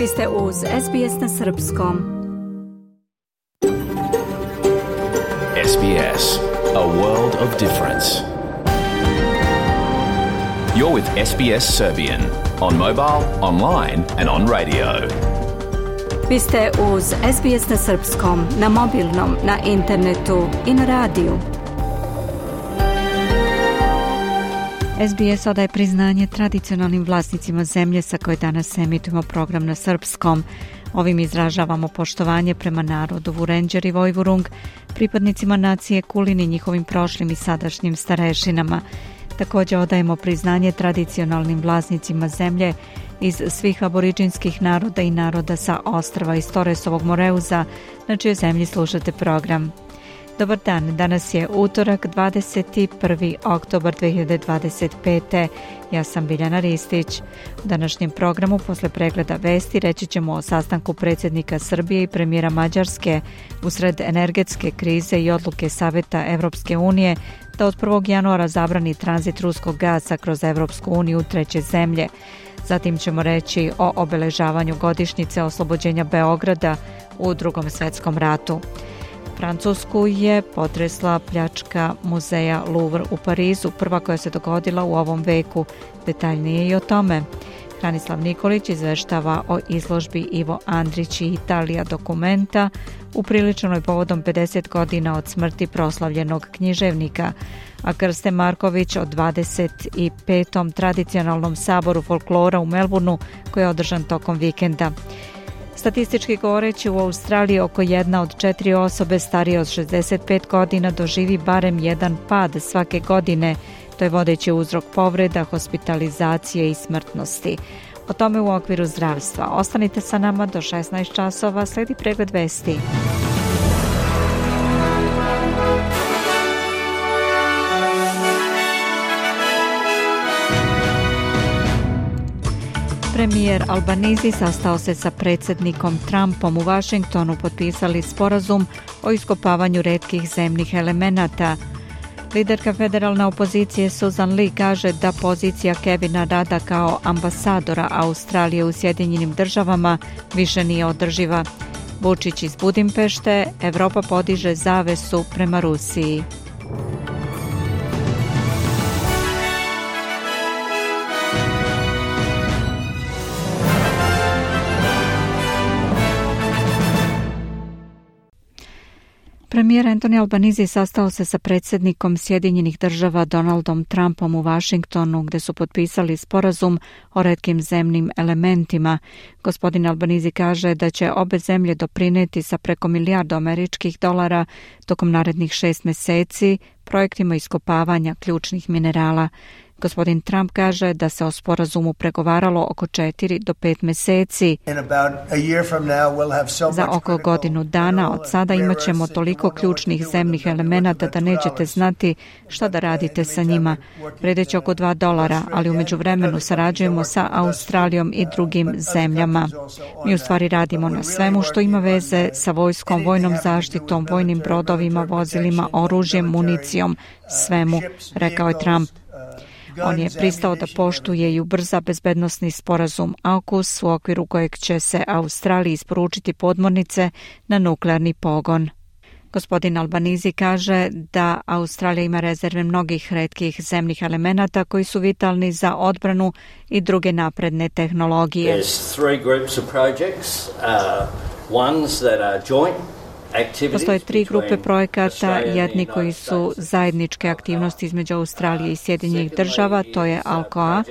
Vi ste uz SBS na Srpskom. SBS, a world of difference. You're with SBS Serbian on mobile, online and on radio. Vi ste uz SBS na Srpskom, na mobilnom, na internetu i na radiju. SBS odaje priznanje tradicionalnim vlasnicima zemlje sa koje danas emitujemo program na srpskom. Ovim izražavamo poštovanje prema narodu Vurenđer i Vojvurung, pripadnicima nacije Kulin i njihovim prošlim i sadašnjim starešinama. Također odajemo priznanje tradicionalnim vlasnicima zemlje iz svih aboriđinskih naroda i naroda sa ostrva iz Torresovog Moreuza, na čijoj zemlji slušate program. Dobar dan, danas je utorak 21. oktobar 2025. Ja sam Biljana Ristić. U današnjem programu posle pregleda vesti reći ćemo o sastanku predsjednika Srbije i premijera Mađarske usred energetske krize i odluke Saveta Evropske unije da od 1. januara zabrani tranzit ruskog gasa kroz Evropsku uniju u treće zemlje. Zatim ćemo reći o obeležavanju godišnjice oslobođenja Beograda u Drugom svjetskom ratu. Francusku je potresla pljačka muzeja Louvre u Parizu, prva koja se dogodila u ovom veku. Detaljnije i o tome. Hranislav Nikolić izveštava o izložbi Ivo Andrić i Italija dokumenta upriličenoj povodom 50 godina od smrti proslavljenog književnika, a Krste Marković o 25. tradicionalnom saboru folklora u Melbourneu koji je održan tokom vikenda. Statistički govoreći, u Australiji oko 1 od 4 osobe starije od 65 godina doživi barem jedan pad svake godine. To je vodeći uzrok povreda, hospitalizacije i smrtnosti. O tome u okviru zdravstva. Ostanite sa nama do 16 časova, slijedi pregled vesti. Premijer Albanizi sastao se sa predsjednikom Trumpom u Vašingtonu, potpisali sporazum o iskopavanju retkih zemnih elemenata. Liderka federalne opozicije Susan Lee kaže da pozicija Kevina Rada kao ambasadora Australije u Sjedinjenim državama više nije održiva. Vučić iz Budimpešte, Evropa podiže zavesu prema Rusiji. Premijer Anthony Albanizi sastao se sa predsjednikom Sjedinjenih država Donaldom Trumpom u Vašingtonu, gdje su potpisali sporazum o retkim zemnim elementima. Gospodin Albanizi kaže da će obe zemlje doprinijeti sa preko milijardu američkih dolara tokom narednih 6 mjeseci projektima iskopavanja ključnih minerala. Gospodin Trump kaže da se o sporazumu pregovaralo oko 4 do 5 mjeseci. Za oko godinu dana od sada imat ćemo toliko ključnih zemnih elemenata da nećete znati šta da radite sa njima. Vredeći oko $2, ali u međuvremenu sarađujemo sa Australijom i drugim zemljama. Mi u stvari radimo na svemu što ima veze sa vojskom, vojnom zaštitom, vojnim brodovima, vozilima, oružjem, municijom, svemu, rekao je Trump. On je pristao da poštuje i ubrza bezbednosni sporazum AUKUS u okviru kojeg će se Australiji isporučiti podmornice na nuklearni pogon. Gospodin Albanizi kaže da Australija ima rezerve mnogih retkih zemnih elemenata koji su vitalni za odbranu i druge napredne tehnologije. Postoje 3 grupe projekata, jedni koji su zajedničke aktivnosti između Australije i Sjedinjenih država, to je ALCOA.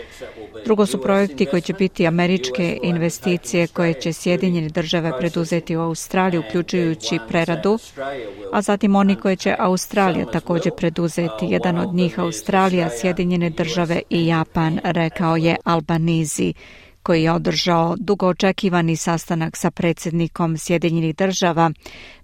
Drugo su projekti koji će biti američke investicije koje će Sjedinjene države preduzeti u Australiji, uključujući preradu, a zatim oni koje će Australija također preduzeti. Jedan od njih Australija, Sjedinjene države i Japan, rekao je Albanizi, koji je održao dugo očekivani sastanak sa predsjednikom Sjedinjenih država.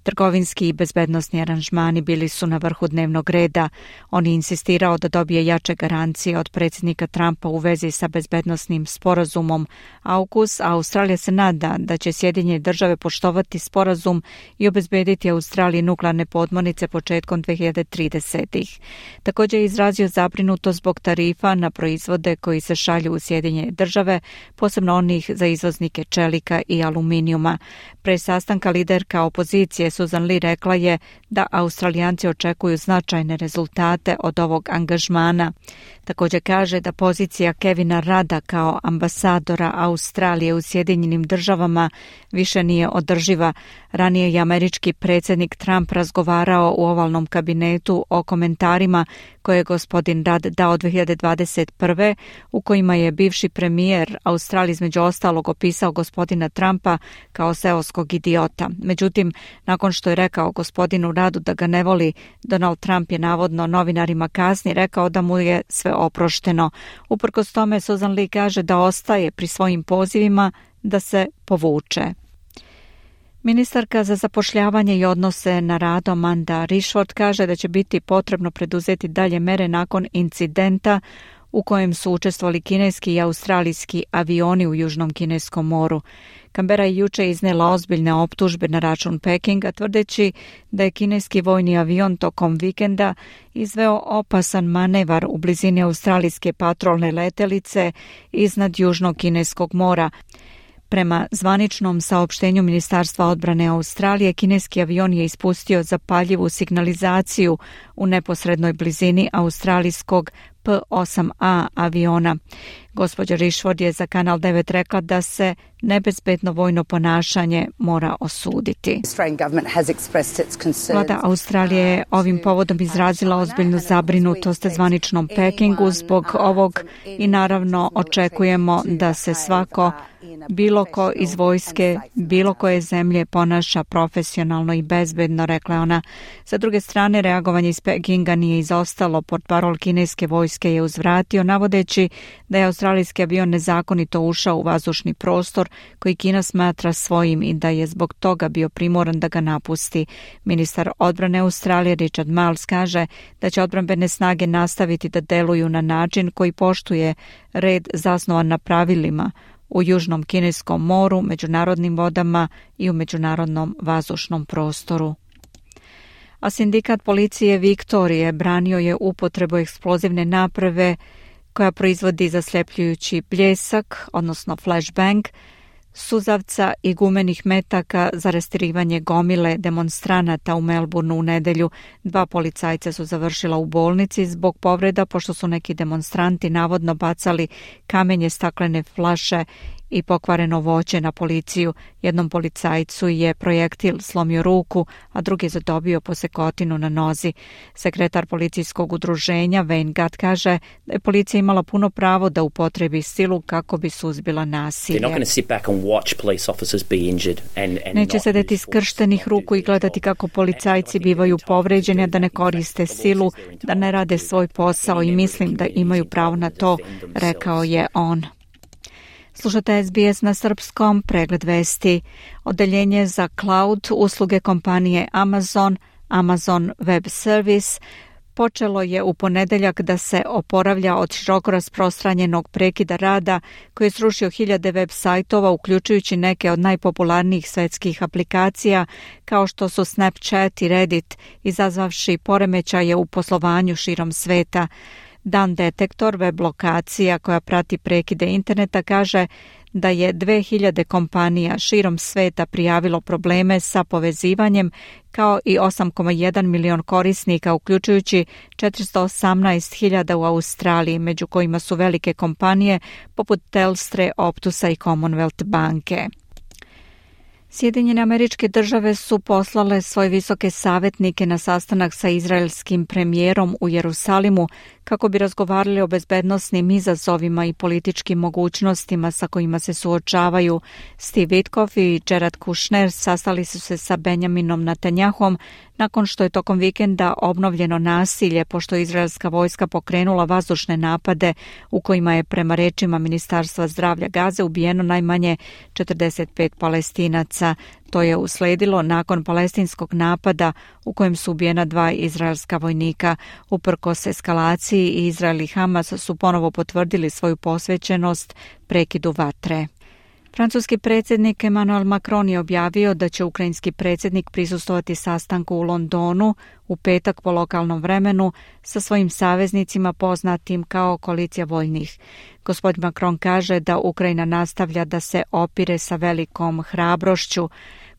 Trgovinski i bezbednosni aranžmani bili su na vrhu dnevnog reda. On je insistirao da dobije jače garancije od predsjednika Trumpa u vezi sa bezbednosnim sporazumom AUKUS, a Australija se nada da će Sjedinjene države poštovati sporazum i obezbediti Australiji nuklearne podmornice početkom 2030-ih. Također je izrazio zabrinutost zbog tarifa na proizvode koji se šalju u Sjedinjene države, posebno onih za izvoznike čelika i aluminijuma. Pre sastanka liderka opozicije Susan Lee rekla je da Australijanci očekuju značajne rezultate od ovog angažmana. Također kaže da pozicija Kevina Rada kao ambasadora Australije u Sjedinjenim državama više nije održiva. Ranije je američki predsjednik Trump razgovarao u ovalnom kabinetu o komentarima koje je gospodin Rudd dao 2021. u kojima je bivši premijer Australije između ostalog opisao gospodina Trumpa kao seoskog idiota. Međutim, nakon što je rekao gospodinu Ruddu da ga ne voli, Donald Trump je navodno novinarima kasnije rekao da mu je sve oprošteno. Uprkos tome, Susan Lee kaže da ostaje pri svojim pozivima da se povuče. Ministarka za zapošljavanje i odnose na radu Amanda Rishford kaže da će biti potrebno preduzeti dalje mere nakon incidenta u kojem su učestvovali kineski i australijski avioni u Južnom Kineskom moru. Canberra je juče iznela ozbiljne optužbe na račun Pekinga, tvrdeći da je kineski vojni avion tokom vikenda izveo opasan manevar u blizini australijske patrolne letelice iznad Južnog Kineskog mora. Prema zvaničnom saopštenju Ministarstva odbrane Australije, kineski avion je ispustio zapaljivu signalizaciju u neposrednoj blizini australijskog P-8A aviona. Gospođa Rishford je za Kanal 9 rekla da se nebezbedno vojno ponašanje mora osuditi. Vlada Australije je ovim povodom izrazila ozbiljnu zabrinutost zvaničnom Pekingu zbog ovog i naravno očekujemo da se svako, bilo ko iz vojske, bilo koje zemlje ponaša profesionalno i bezbedno, rekla ona. Sa druge strane, reagovanje iz Pekinga nije izostalo. Portparol kineske vojske je uzvratio, navodeći da je australijski avion nezakonito ušao u vazdušni prostor koji Kina smatra svojim i da je zbog toga bio primoran da ga napusti. Ministar odbrane Australije Richard Marles kaže da će odbrambene snage nastaviti da deluju na način koji poštuje red zasnovan na pravilima u Južnom Kineskom moru, međunarodnim vodama i u međunarodnom vazdušnom prostoru. A sindikat policije Viktorije branio je upotrebu eksplozivne naprave koja proizvodi zasljepljujući bljesak, odnosno flashbang, suzavca i gumenih metaka za rastirivanje gomile demonstranata u Melbourneu u nedjelju. 2 policajca su završila u bolnici zbog povreda pošto su neki demonstranti navodno bacali kamenje, staklene flaše i pokvareno voće na policiju. Jednom policajcu je projektil slomio ruku, a drugi je zadobio posekotinu na nozi. Sekretar policijskog udruženja Wayne Gatt kaže da je policija imala puno pravo da upotrebi silu kako bi suzbila nasilje. Neće sedeti skrštenih ruku i gledati kako policajci bivaju povređeni, a da ne koriste silu, da ne rade svoj posao i mislim da imaju pravo na to, rekao je on. Slušate SBS na srpskom, pregled vesti. Odeljenje za cloud usluge kompanije Amazon Web Service, počelo je u ponedjeljak da se oporavlja od široko rasprostranjenog prekida rada koji je srušio hiljade web sajtova, uključujući neke od najpopularnijih svetskih aplikacija kao što su Snapchat i Reddit, izazvavši poremećaje u poslovanju širom sveta. Dan Detektor, web lokacija koja prati prekide interneta, kaže da je 2000 kompanija širom sveta prijavilo probleme sa povezivanjem, kao i 8,1 milion korisnika, uključujući 418.000 u Australiji, među kojima su velike kompanije poput Telstre, Optusa i Commonwealth banke. Sjedinjene Američke Države su poslale svoje visoke savjetnike na sastanak sa izraelskim premijerom u Jerusalimu kako bi razgovarali o bezbednosnim izazovima i političkim mogućnostima sa kojima se suočavaju. Steve Witkoff i Jared Kushner sastali su se sa Benjaminom Netanyahom nakon što je tokom vikenda obnovljeno nasilje pošto je izraelska vojska pokrenula vazdušne napade u kojima je prema rečima Ministarstva zdravlja Gaze ubijeno najmanje 45 Palestinaca. što je usledilo nakon palestinskog napada u kojem su ubijena 2 izraelska vojnika. Uprkos eskalaciji, Izrael i Hamas su ponovo potvrdili svoju posvećenost prekidu vatre. Francuski predsjednik Emmanuel Macron je objavio da će ukrajinski predsjednik prisustvovati sastanku u Londonu u petak po lokalnom vremenu sa svojim saveznicima poznatim kao koalicija voljnih. Gospodin Macron kaže da Ukrajina nastavlja da se opire sa velikom hrabrošću.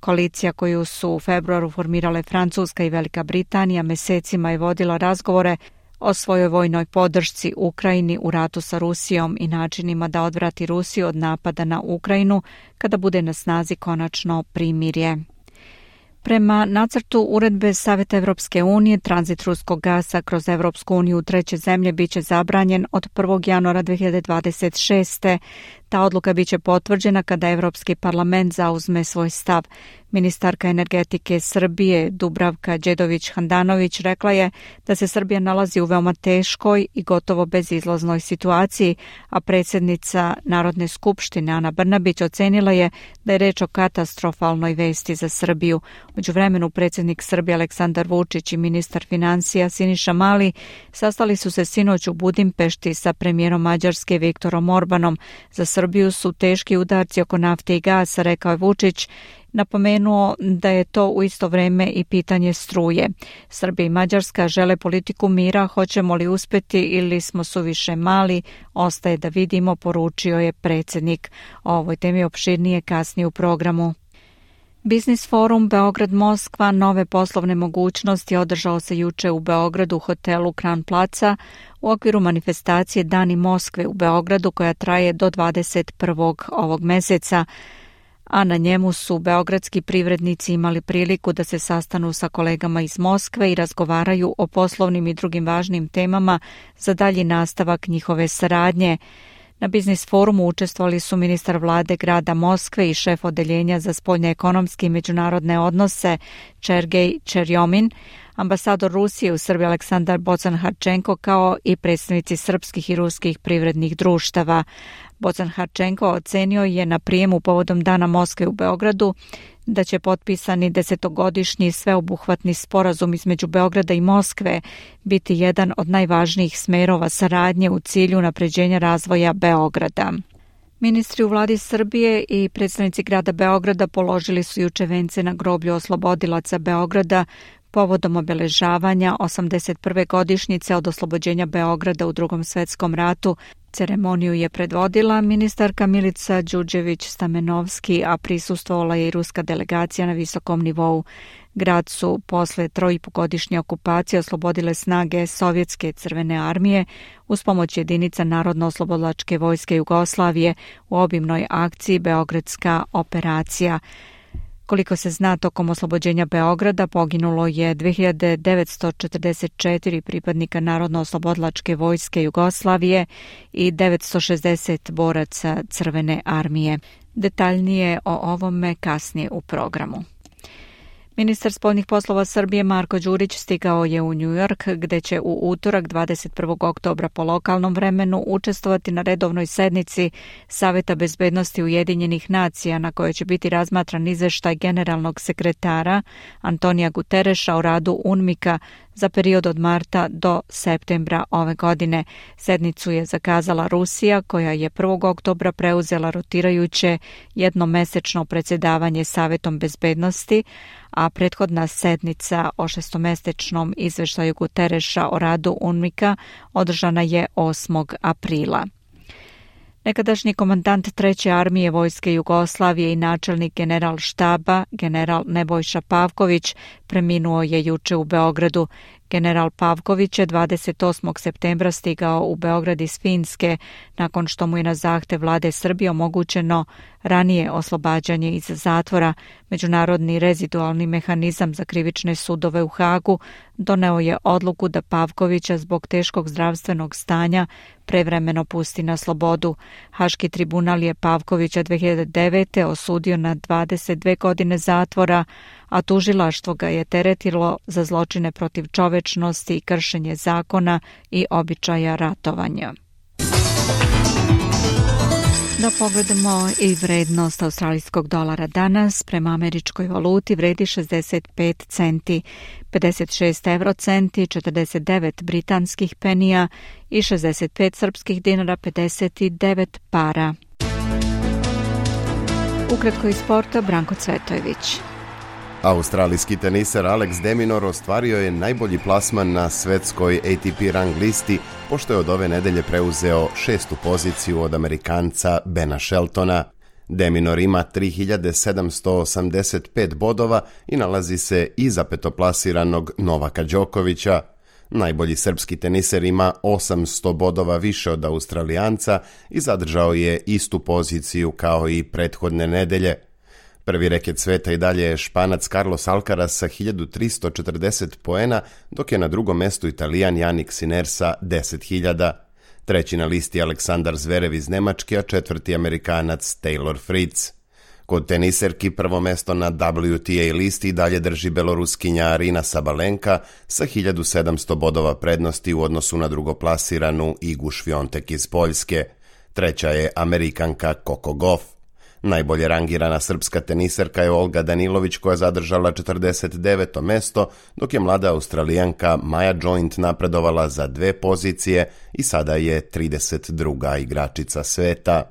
Koalicija koju su u februaru formirale Francuska i Velika Britanija mesecima je vodila razgovore o svojoj vojnoj podršci Ukrajini u ratu sa Rusijom i načinima da odvrati Rusiju od napada na Ukrajinu kada bude na snazi konačno primirje. Prema nacrtu uredbe Saveta Evropske unije, tranzit ruskog gasa kroz Evropsku uniju u treće zemlje biće zabranjen od 1. januara 2026. Ta odluka biće potvrđena kada Evropski parlament zauzme svoj stav. Ministarka energetike Srbije Dubravka Đedović-Handanović rekla je da se Srbija nalazi u veoma teškoj i gotovo bezizlaznoj situaciji, a predsjednica Narodne skupštine Ana Brnabić ocenila je da je reč o katastrofalnoj vesti za Srbiju. U međuvremenu predsjednik Srbije Aleksandar Vučić i ministar financija Siniša Mali sastali su se sinoć u Budimpešti sa premijerom Mađarske Viktorom Orbanom. Za Srbiju su teški udarci oko nafte i gasa, rekao je Vučić. Napomenuo da je to u isto vrijeme i pitanje struje. Srbija i Mađarska žele politiku mira, hoćemo li uspjeti ili smo suviše mali, ostaje da vidimo, poručio je predsjednik. O ovoj temi opširnije kasnije u programu. Biznis forum Beograd-Moskva nove poslovne mogućnosti održao se juče u Beogradu u hotelu Kran Placa u okviru manifestacije Dani Moskve u Beogradu koja traje do 21. ovog mjeseca, a na njemu su beogradski privrednici imali priliku da se sastanu sa kolegama iz Moskve i razgovaraju o poslovnim i drugim važnim temama za dalji nastavak njihove saradnje. Na biznis forumu učestvovali su ministar vlade grada Moskve i šef odeljenja za spoljnoekonomske i međunarodne odnose Sergej Čerjomin, ambasador Rusije u Srbiji Aleksandar Bocan-Harčenko kao i predstavnici srpskih i ruskih privrednih društava. Bocan-Harčenko ocenio je na prijemu povodom Dana Moskve u Beogradu da će potpisani 10-godišnji sveobuhvatni sporazum između Beograda i Moskve biti jedan od najvažnijih smerova saradnje u cilju unapređenja razvoja Beograda. Ministri u vladi Srbije i predstavnici grada Beograda položili su juče vence na groblju oslobodilaca Beograda povodom obeležavanja 81. godišnjice od oslobođenja Beograda u Drugom svjetskom ratu. Ceremoniju je predvodila ministarka Milica Đurđević-Stamenovski, a prisustvovala je i ruska delegacija na visokom nivou. Grad su posle 3,5-godišnje okupacije oslobodile snage Sovjetske crvene armije uz pomoć jedinica Narodno-oslobodilačke vojske Jugoslavije u obimnoj akciji Beogradska operacija. Koliko se zna, tokom oslobođenja Beograda poginulo je 2944 pripadnika Narodno-oslobodilačke vojske Jugoslavije i 960 boraca Crvene armije. Detaljnije o ovome kasnije u programu. Ministar spoljnih poslova Srbije Marko Đurić stigao je u New York, gde će u utorak 21. oktobra po lokalnom vremenu učestvovati na redovnoj sednici Saveta bezbednosti Ujedinjenih nacija na kojoj će biti razmatran izveštaj generalnog sekretara Antonija Gutereša o radu UNMIK-a za period od marta do septembra ove godine. Sednicu je zakazala Rusija, koja je 1. oktobra preuzela rotirajuće jednomesečno predsjedavanje Savetom bezbednosti, a prethodna sednica o šestomesečnom izveštaju Gutereša o radu UNMIK-a održana je 8. aprila. Nekadašnji komandant 3. armije vojske Jugoslavije i načelnik general štaba, general Nebojša Pavković, preminuo je juče u Beogradu. General Pavković je 28. septembra stigao u Beograd iz Finske, nakon što mu je na zahtev vlade Srbije omogućeno ranije oslobađanje iz zatvora. Međunarodni rezidualni mehanizam za krivične sudove u Hagu doneo je odluku da Pavkovića zbog teškog zdravstvenog stanja prevremeno pusti na slobodu. Haški tribunal je Pavkovića 2009. osudio na 22 godine zatvora, a tužilaštvo ga je teretilo za zločine protiv čovečnosti i kršenje zakona i običaja ratovanja. Da pogledamo i vrednost australijskog dolara danas prema američkoj valuti vredi 65 centi, 56 eurocenti, 49 britanskih penija i 65 srpskih dinara, 59 para. Ukratko iz sporta, Branko Cvetojević. Australijski teniser Alex de Minaur ostvario je najbolji plasman na svetskoj ATP rang listi, pošto je od ove nedelje preuzeo 6. poziciju od Amerikanca Bena Sheltona. De Minaur ima 3785 bodova i nalazi se iza petoplasiranog Novaka Đokovića. Najbolji srpski teniser ima 800 bodova više od Australijanca i zadržao je istu poziciju kao i prethodne nedelje. Prvi reket sveta i dalje je Španac Carlos Alcaraz sa 1340 poena, dok je na drugom mestu Italijan Jannik Sinner sa 10.000. Treći na listi Aleksandar Zverev iz Nemačke, a četvrti Amerikanac Taylor Fritz. Kod teniserki prvo mesto na WTA listi dalje drži beloruskinja Arina Sabalenka sa 1700 bodova prednosti u odnosu na drugoplasiranu Igu Šviontek iz Poljske. Treća je Amerikanka Coco Gauff. Najbolje rangirana srpska teniserka je Olga Danilović koja zadržala 49. mesto, dok je mlada Australijanka Maja Joint napredovala za 2 pozicije i sada je 32. igračica sveta.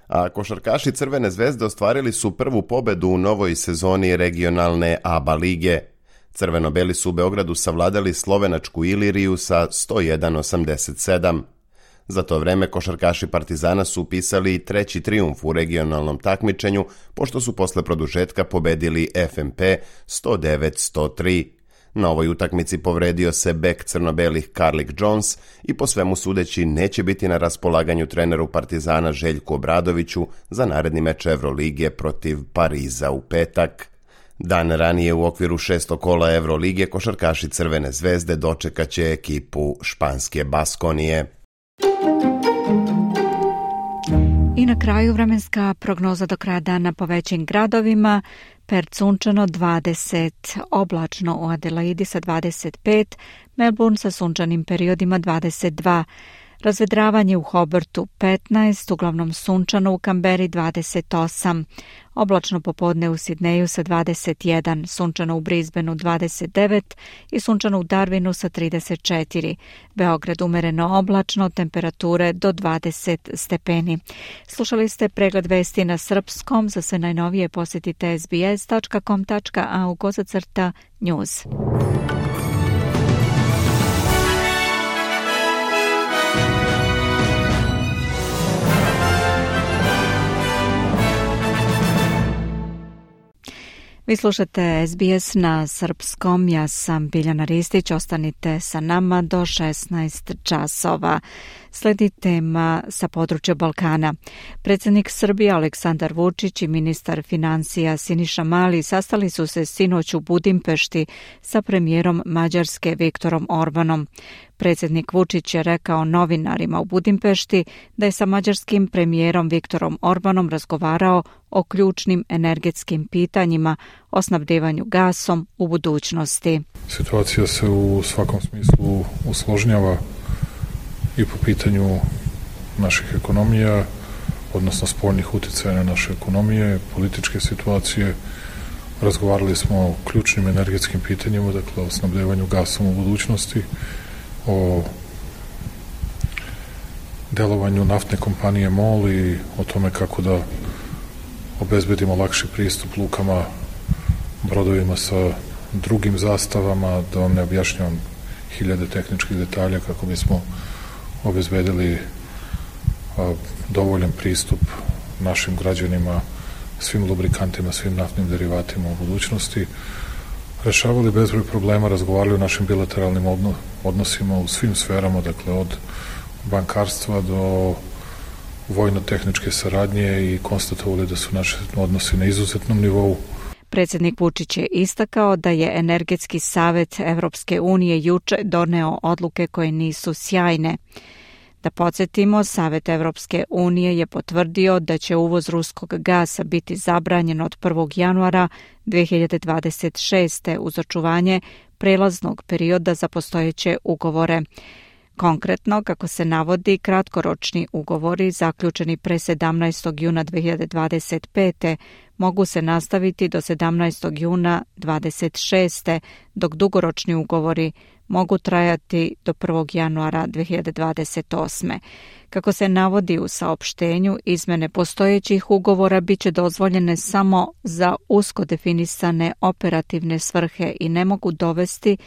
A košarkaši Crvene zvezde ostvarili su prvu pobedu u novoj sezoni regionalne ABA lige. Crveno-beli su u Beogradu savladali slovenačku Iliriju sa 101-87. Za to vreme košarkaši Partizana su upisali treći trijumf u regionalnom takmičenju, pošto su posle produžetka pobedili FNP 109-103. Na ovoj utakmici povredio se bek crno-belih Carlik Jones i po svemu sudeći neće biti na raspolaganju treneru Partizana Željku Obradoviću za naredni meč Evrolige protiv Pariza u petak. Dan ranije u okviru 6. kola Evrolige košarkaši Crvene zvezde dočekaće ekipu španske Baskonije. I na kraju vremenska prognoza do kraja dana po većim gradovima. Perth sunčano 20, oblačno u Adelaidi sa 25, Melbourne sa sunčanim periodima 22, razvedravanje u Hobartu 15, uglavnom sunčano u Kamberi 28, oblačno popodne u Sidneju sa 21, sunčano u Brisbaneu 29 i sunčano u Darwinu sa 34. Beograd umereno oblačno, temperature do 20 stepeni. Slušali ste pregled vesti na srpskom. Za sve najnovije posjetite sbs.com.au/news. Vi slušate SBS na srpskom, ja sam Biljana Ristić, ostanite sa nama do 16 časova. Sledi tema sa područja Balkana. Predsjednik Srbije Aleksandar Vučić i ministar financija Siniša Mali sastali su se sinoć u Budimpešti sa premijerom Mađarske Viktorom Orbanom. Predsjednik Vučić je rekao novinarima u Budimpešti da je sa mađarskim premijerom Viktorom Orbanom razgovarao o ključnim energetskim pitanjima, o snabdevanju gasom u budućnosti. Situacija se u svakom smislu usložnjava i po pitanju naših ekonomija, odnosno spoljnih utjecaja na naše ekonomije, političke situacije. Razgovarali smo o ključnim energetskim pitanjima, dakle o snabdevanju gasom u budućnosti, o delovanju naftne kompanije MOL i o tome kako da obezbedimo lakši pristup lukama, brodovima sa drugim zastavama, da vam ne objašnjavam hiljade tehničkih detalja kako bismo obezbedili dovoljan pristup našim građanima, svim lubrikantima, svim naftnim derivatima u budućnosti. Rešavali bezbroj problema, razgovarali o našim bilateralnim odnosima u svim sferama, dakle od bankarstva do vojno-tehničke saradnje i konstatovali da su naši odnosi na izuzetnom nivou. Predsjednik Vučić je istakao da je Energetski savet Evropske unije juče doneo odluke koje nisu sjajne. Da podsjetimo, Savet Evropske unije je potvrdio da će uvoz ruskog gasa biti zabranjen od 1. januara 2026. uz očuvanje prelaznog perioda za postojeće ugovore. Konkretno, kako se navodi, kratkoročni ugovori zaključeni pre 17. juna 2025. mogu se nastaviti do 17. juna 2026. dok dugoročni ugovori mogu trajati do 1. januara 2028. Kako se navodi u saopštenju, izmene postojećih ugovora biće dozvoljene samo za usko definisane operativne svrhe i ne mogu dovesti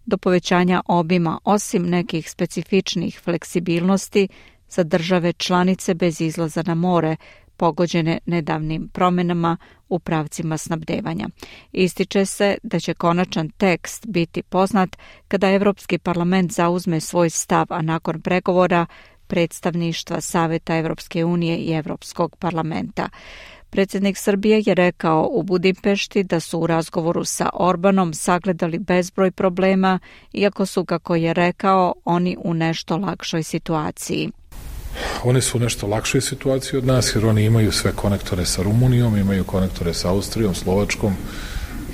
do povećanja obima osim nekih specifičnih fleksibilnosti za države članice bez izlaza na more, pogođene nedavnim promjenama u pravcima snabdevanja. Ističe se da će konačan tekst biti poznat kada Evropski parlament zauzme svoj stav, a nakon pregovora predstavništva Saveta Evropske unije i Evropskog parlamenta. Predsjednik Srbije je rekao u Budimpešti da su u razgovoru sa Orbanom sagledali bezbroj problema, iako su, kako je rekao, oni u nešto lakšoj situaciji. Oni su u nešto lakšoj situaciji od nas, jer oni imaju sve konektore sa Rumunijom, imaju konektore sa Austrijom, Slovačkom,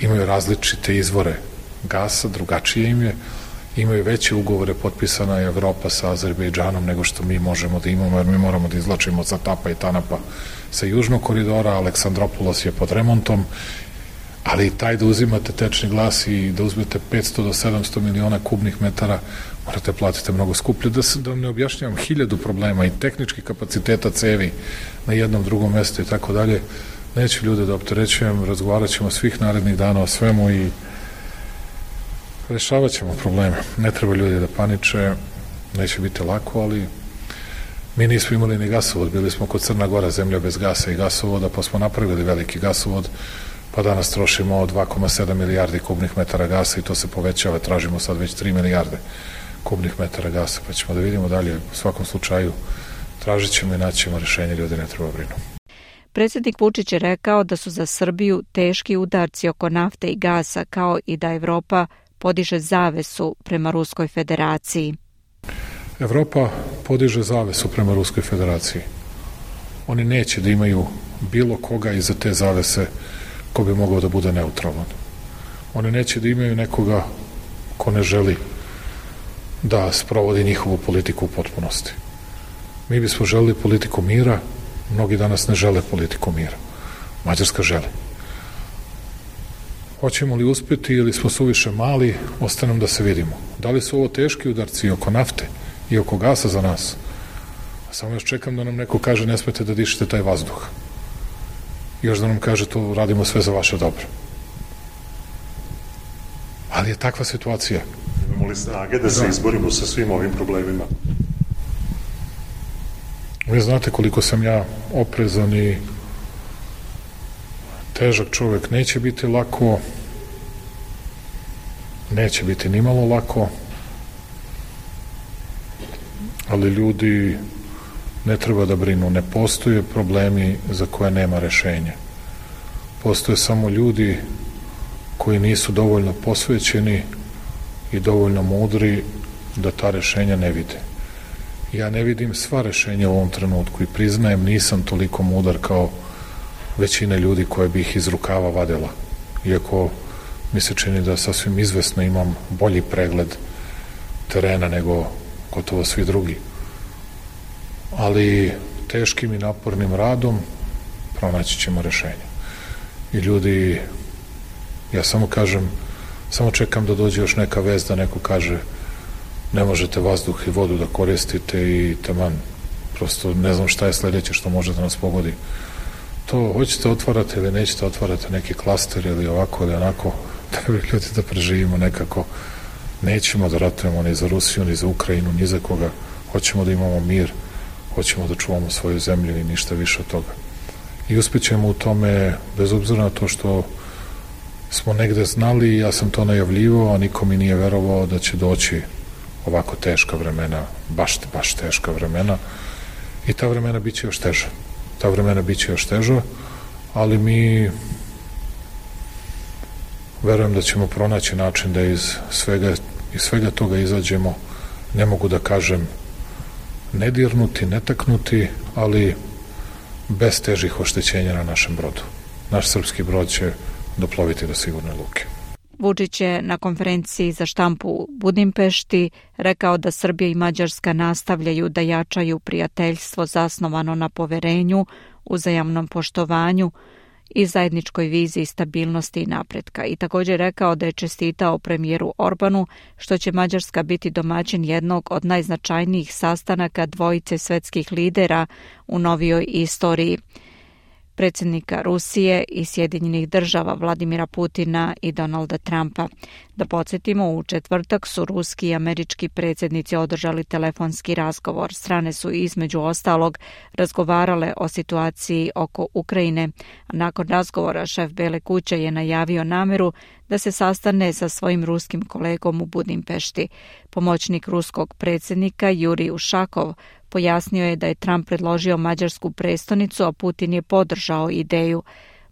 imaju različite izvore gasa, drugačije im je, imaju veće ugovore, potpisana je Evropa sa Azerbejdžanom nego što mi možemo da imamo, jer mi moramo da izlačimo sa Tapa i Tanapa sa južnog koridora, Aleksandropolos je pod remontom, ali taj da uzimate tečni gas i da uzmete 500 do 700 miliona kubnih metara, morate platiti mnogo skuplje. Da vam ne objašnjavam 1000 problema i tehničkih kapaciteta cevi na jednom drugom mestu i tako dalje. Neću ljude da opterećujem, razgovarat ćemo svih narednih dana o svemu i rešavat ćemo probleme. Ne treba ljudi da paniče, neće biti lako, ali mi nismo imali ni gasovod, bili smo kod Crna Gora, zemlja bez gasa i gasovoda, pa smo napravili veliki gasovod, pa danas trošimo 2,7 milijardi kubnih metara gasa i to se povećava, tražimo sad već 3 milijarde kubnih metara gasa, pa ćemo da vidimo dalje. U svakom slučaju tražit ćemo i naćemo rešenje, ljudi ne treba brinu. Predsjednik Vučić je rekao da su za Srbiju teški udarci oko nafte i gasa, kao i da Evropa podiže zavesu prema Ruskoj federaciji. Evropa podiže zavesu prema Ruskoj federaciji. Oni neće da imaju bilo koga iza te zavese ko bi mogao da bude neutralan. Oni neće da imaju nekoga ko ne želi da sprovodi njihovu politiku u potpunosti. Mi bismo želeli politiku mira, mnogi danas ne žele politiku mira. Mađarska želi. Hoćemo li uspjeti ili smo suviše mali, ostaje nam da se vidimo. Da li su ovo teški udarci oko nafte i oko gasa za nas? Samo još čekam da nam neko kaže ne smete da dišete taj vazduh. Još da nam kaže to radimo sve za vaše dobro. Ali je takva situacija. Imamo li snage da se izborimo sa svim ovim problemima? Vi znate koliko sam ja oprezan i težak čovjek. Neće biti lako, neće biti nimalo lako, ali ljudi ne treba da brinu. Ne postoje problemi za koje nema rešenja. Postoje samo ljudi koji nisu dovoljno posvećeni i dovoljno mudri da ta rešenja ne vide. Ja ne vidim sva rešenja u ovom trenutku i priznajem nisam toliko mudar kao većina ljudi koje bi ih iz rukava vadila. Iako mi se čini da sasvim izvesno imam bolji pregled terena nego gotovo svi drugi. Ali teškim i napornim radom pronaći ćemo rešenje. I ljudi, ja samo kažem, samo čekam da dođe još neka vest da neko kaže ne možete vazduh i vodu da koristite i taman, prosto ne znam šta je sledeće što može da nas pogodi. To hoćete otvarati ili nećete otvarati neki klaster ili ovako ili onako, treba ljudi da preživimo nekako. Nećemo da ratujemo ni za Rusiju, ni za Ukrajinu, ni za koga. Hoćemo da imamo mir, hoćemo da čuvamo svoju zemlju i ništa više od toga. I uspjećemo u tome, bez obzira na to što smo negde znali, ja sam to najavljivao, a niko mi nije verovao da će doći ovako teška vremena, baš teška vremena. I ta vremena bit će još teža. Ta vremena bit će još teža, ali mi verujem da ćemo pronaći način da iz svega toga izađemo, ne mogu da kažem nedirnuti, netaknuti, ali bez težih oštećenja na našem brodu. Naš srpski brod će doploviti do sigurne luke. Vučić je na konferenciji za štampu u Budimpešti rekao da Srbija i Mađarska nastavljaju da jačaju prijateljstvo zasnovano na poverenju, uzajamnom poštovanju i zajedničkoj viziji stabilnosti i napretka. I također rekao da je čestitao premijeru Orbanu što će Mađarska biti domaćin jednog od najznačajnijih sastanaka dvojice svetskih lidera u novijoj istoriji, predsjednika Rusije i Sjedinjenih država Vladimira Putina i Donalda Trumpa. Da podsjetimo, u četvrtak su ruski i američki predsjednici održali telefonski razgovor. Strane su između ostalog razgovarale o situaciji oko Ukrajine. Nakon razgovora šef Bele kuće je najavio namjeru da se sastane sa svojim ruskim kolegom u Budimpešti. Pomoćnik ruskog predsjednika Jurij Ušakov pojasnio je da je Trump predložio mađarsku prestonicu, a Putin je podržao ideju.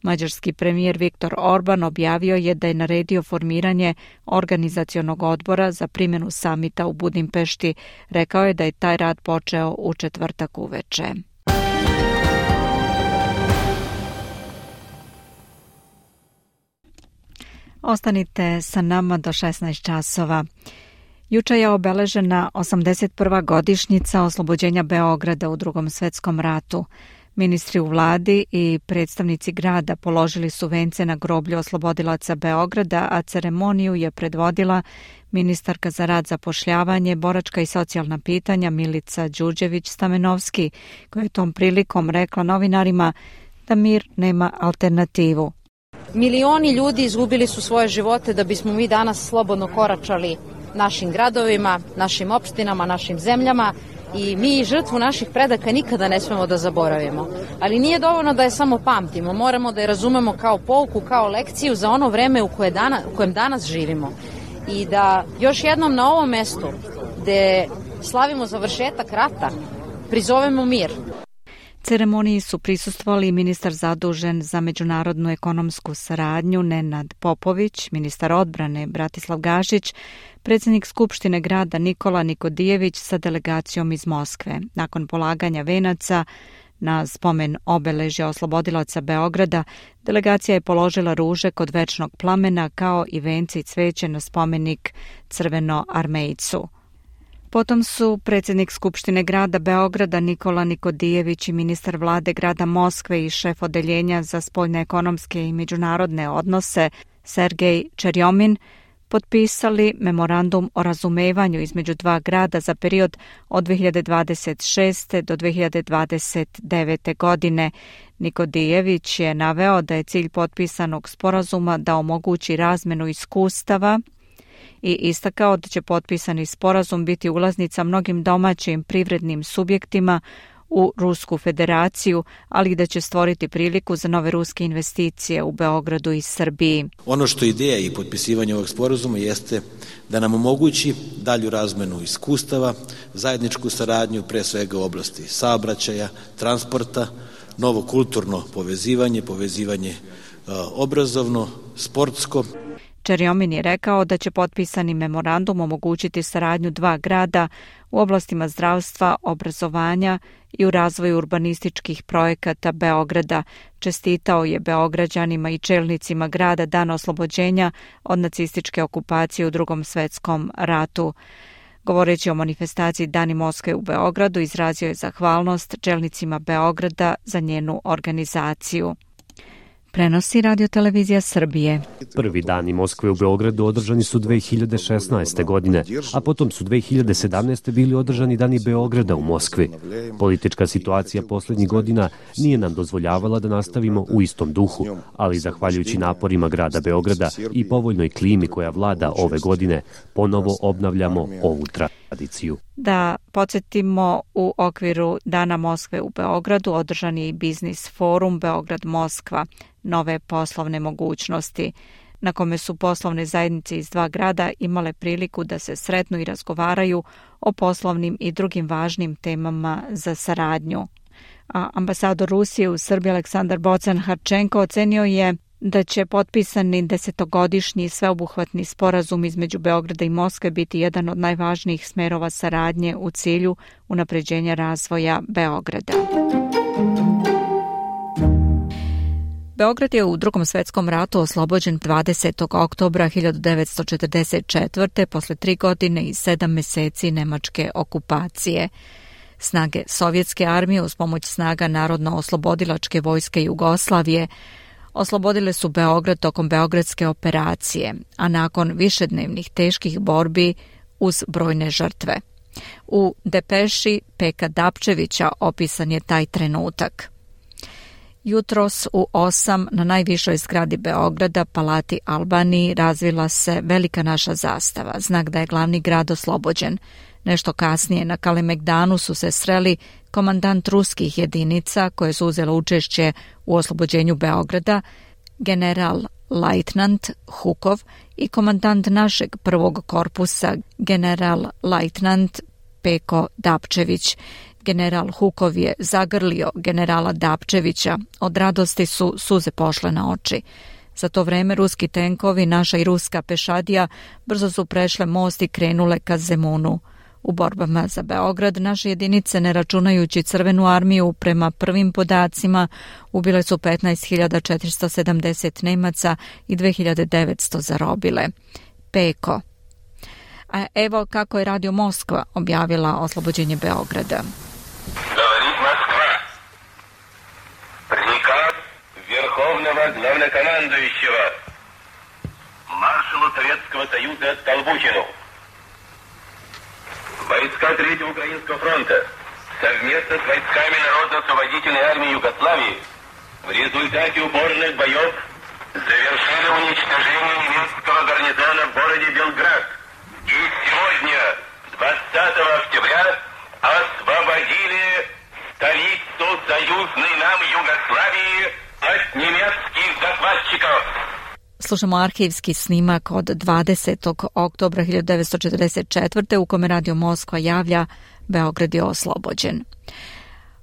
Mađarski premijer Viktor Orban objavio je da je naredio formiranje organizacionog odbora za primjenu samita u Budimpešti. Rekao je da je taj rad počeo u četvrtak uveče. Ostanite sa nama do 16 časova. Juče je obeležena 81. godišnjica oslobođenja Beograda u Drugom svjetskom ratu. Ministri u vladi i predstavnici grada položili su vence na groblju oslobodilaca Beograda, a ceremoniju je predvodila ministarka za rad, zapošljavanje, boračka i socijalna pitanja Milica Đurđević-Stamenovski, koja je tom prilikom rekla novinarima da mir nema alternativu. Milioni ljudi izgubili su svoje živote da bismo mi danas slobodno koračali našim gradovima, našim opštinama, našim zemljama i mi žrtvu naših predaka nikada ne smemo da zaboravimo. Ali nije dovoljno da je samo pamtimo, moramo da je razumemo kao pouku, kao lekciju za ono vreme u kojem danas živimo. I da još jednom na ovom mestu gde slavimo završetak rata prizovemo mir. Ceremoniji su prisustvovali ministar zadužen za međunarodnu ekonomsku saradnju Nenad Popović, ministar odbrane Bratislav Gašić, predsjednik Skupštine grada Nikola Nikodijević sa delegacijom iz Moskve. Nakon polaganja venaca na spomen obeležja oslobodilaca Beograda, delegacija je položila ruže kod večnog plamena kao i vence i cveće na spomenik Crvenoarmejcu. Potom su predsjednik Skupštine grada Beograda Nikola Nikodijević i ministar vlade grada Moskve i šef odeljenja za spoljne ekonomske i međunarodne odnose Sergej Čerjomin potpisali memorandum o razumevanju između dva grada za period od 2026. do 2029. godine. Nikodijević je naveo da je cilj potpisanog sporazuma da omogući razmenu iskustava i istakao da će potpisani sporazum biti ulaznica mnogim domaćim privrednim subjektima u Rusku federaciju, ali i da će stvoriti priliku za nove ruske investicije u Beogradu i Srbiji. Ono što je ideja i potpisivanje ovog sporazuma jeste da nam omogući dalju razmenu iskustava, zajedničku saradnju pre svega u oblasti saobraćaja, transporta, novo kulturno povezivanje obrazovno, sportsko. Čerjomin je rekao da će potpisani memorandum omogućiti saradnju dva grada u oblastima zdravstva, obrazovanja i u razvoju urbanističkih projekata Beograda. Čestitao je Beograđanima i čelnicima grada dan oslobođenja od nacističke okupacije u Drugom svjetskom ratu. Govoreći o manifestaciji Dani Moskve u Beogradu, izrazio je zahvalnost čelnicima Beograda za njenu organizaciju. Prenosi Radio-televizija Srbije. Prvi dani Moskve u Beogradu održani su 2016. godine, a potom su 2017. bili održani dani Beograda u Moskvi. Politička situacija posljednjih godina nije nam dozvoljavala da nastavimo u istom duhu, ali zahvaljujući naporima grada Beograda i povoljnoj klimi koja vlada ove godine, ponovo obnavljamo ovu tradiciju. Da podsjetimo, u okviru Dana Moskve u Beogradu održan je i biznis forum Beograd-Moskva, nove poslovne mogućnosti, na kome su poslovne zajednice iz dva grada imale priliku da se sretnu i razgovaraju o poslovnim i drugim važnim temama za saradnju. A ambasador Rusije u Srbiji Aleksandar Bocan-Harčenko ocenio je da će potpisani 10-godišnji sveobuhvatni sporazum između Beograda i Moskve biti jedan od najvažnijih smerova saradnje u cilju unapređenja razvoja Beograda. Beograd je u Drugom svetskom ratu oslobođen 20. oktobra 1944. posle 3 godine i 7 meseci nemačke okupacije. Snage Sovjetske armije uz pomoć snaga Narodno-oslobodilačke vojske Jugoslavije oslobodile su Beograd tokom Beogradske operacije, a nakon višednevnih teških borbi uz brojne žrtve. U depeši Peka Dapčevića opisan je taj trenutak. Jutros u 8 na najvišoj zgradi Beograda, Palati Albaniji, razvila se velika naša zastava, znak da je glavni grad oslobođen. Nešto kasnije na Kalemegdanu su se sreli komandant ruskih jedinica koje su uzele učešće u oslobođenju Beograda, general lajtnant Hukov i komandant našeg prvog korpusa, general lajtnant Peko Dapčević. General Hukov je zagrlio generala Dapčevića, od radosti su suze pošle na oči. Za to vreme ruski tenkovi, naša i ruska pešadija, brzo su prešle most i krenule ka Zemunu. U borbama za Beograd naše jedinice, ne računajući Crvenu armiju, prema prvim podacima ubile su 15.470 Nemaca i 2.900 zarobile. Peko. A evo kako je Radio Moskva objavila oslobođenje Beograda. Говорит Москва. Приказ Верховного Главнокомандующего маршалу Советского Союза Столбухину. Войска Третьего Украинского фронта совместно с войсками Народно-освободительной армии Югославии в результате упорных боев завершили уничтожение немецкого гарнизона в городе Белград. И сегодня, 20 октября, освободили столицу союзной нам Югославии от немецких захватчиков. Slušamo arhivski snimak od 20. oktobra 1944. u kome Radio Moskva javlja Beograd je oslobođen.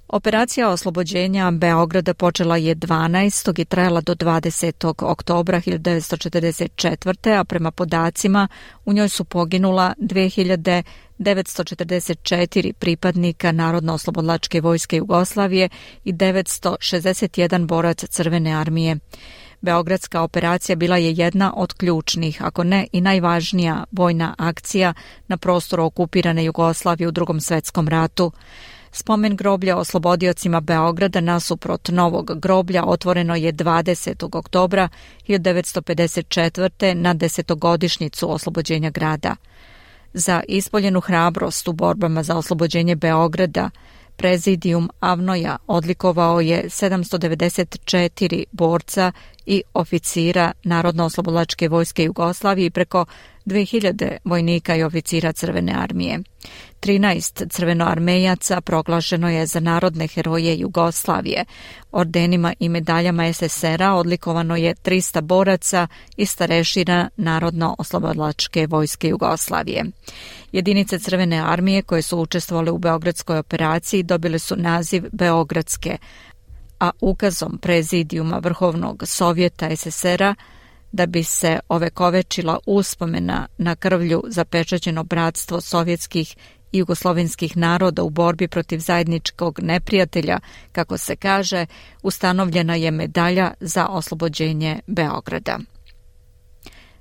Operacija oslobođenja Beograda počela je 12. i trajala do 20. oktobra 1944. a prema podacima u njoj su poginula 2.944 pripadnika Narodno-oslobodilačke vojske Jugoslavije i 961 borac Crvene armije. Beogradska operacija bila je jedna od ključnih, ako ne i najvažnija vojna akcija na prostoru okupirane Jugoslavije u Drugom svetskom ratu. Spomen groblja oslobodiocima Beograda nasuprot novog groblja otvoreno je 20. oktobra 1954. na 10-godišnjicu oslobođenja grada. Za ispoljenu hrabrost u borbama za oslobođenje Beograda Prezidijum Avnoja odlikovao je 794 borca i oficira Narodno-oslobodilačke vojske Jugoslavije i preko 2000 vojnika i oficira Crvene armije. 13 crvenoarmejaca proglašeno je za narodne heroje Jugoslavije. Ordenima i medaljama SSR-a odlikovano je 300 boraca i starešina Narodno-oslobodilačke vojske Jugoslavije. Jedinice Crvene armije koje su učestvovale u Beogradskoj operaciji dobile su naziv Beogradske, a ukazom Prezidijuma Vrhovnog Sovjeta SSR-a da bi se ovekovečila uspomena na krvlju zapečaćeno bratstvo sovjetskih i jugoslovenskih naroda u borbi protiv zajedničkog neprijatelja, kako se kaže, ustanovljena je medalja za oslobođenje Beograda.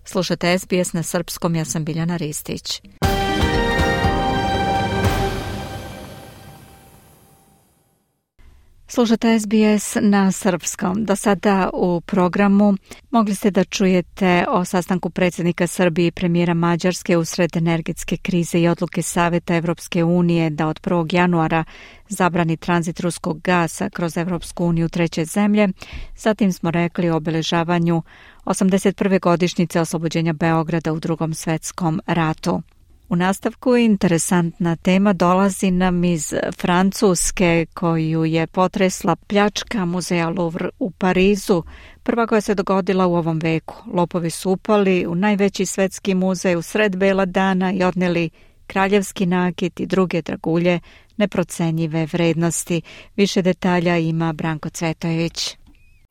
Slušate SBS na srpskom, ja sam Biljana Ristić. Slušate SBS na srpskom. Do sada u programu mogli ste da čujete o sastanku predsjednika Srbije i premijera Mađarske usred energetske krize i odluke Saveta Evropske unije da od 1. januara zabrani tranzit ruskog gasa kroz Evropsku uniju treće zemlje. Zatim smo rekli o obeležavanju 81. godišnjice oslobođenja Beograda u Drugom svetskom ratu. U nastavku interesantna tema dolazi nam iz Francuske, koju je potresla pljačka muzeja Louvre u Parizu, prva koja se dogodila u ovom veku. Lopovi su upali u najveći svetski muzej u sred bela dana i odneli kraljevski nakit i druge dragulje neprocenjive vrednosti. Više detalja ima Branko Cvetojević.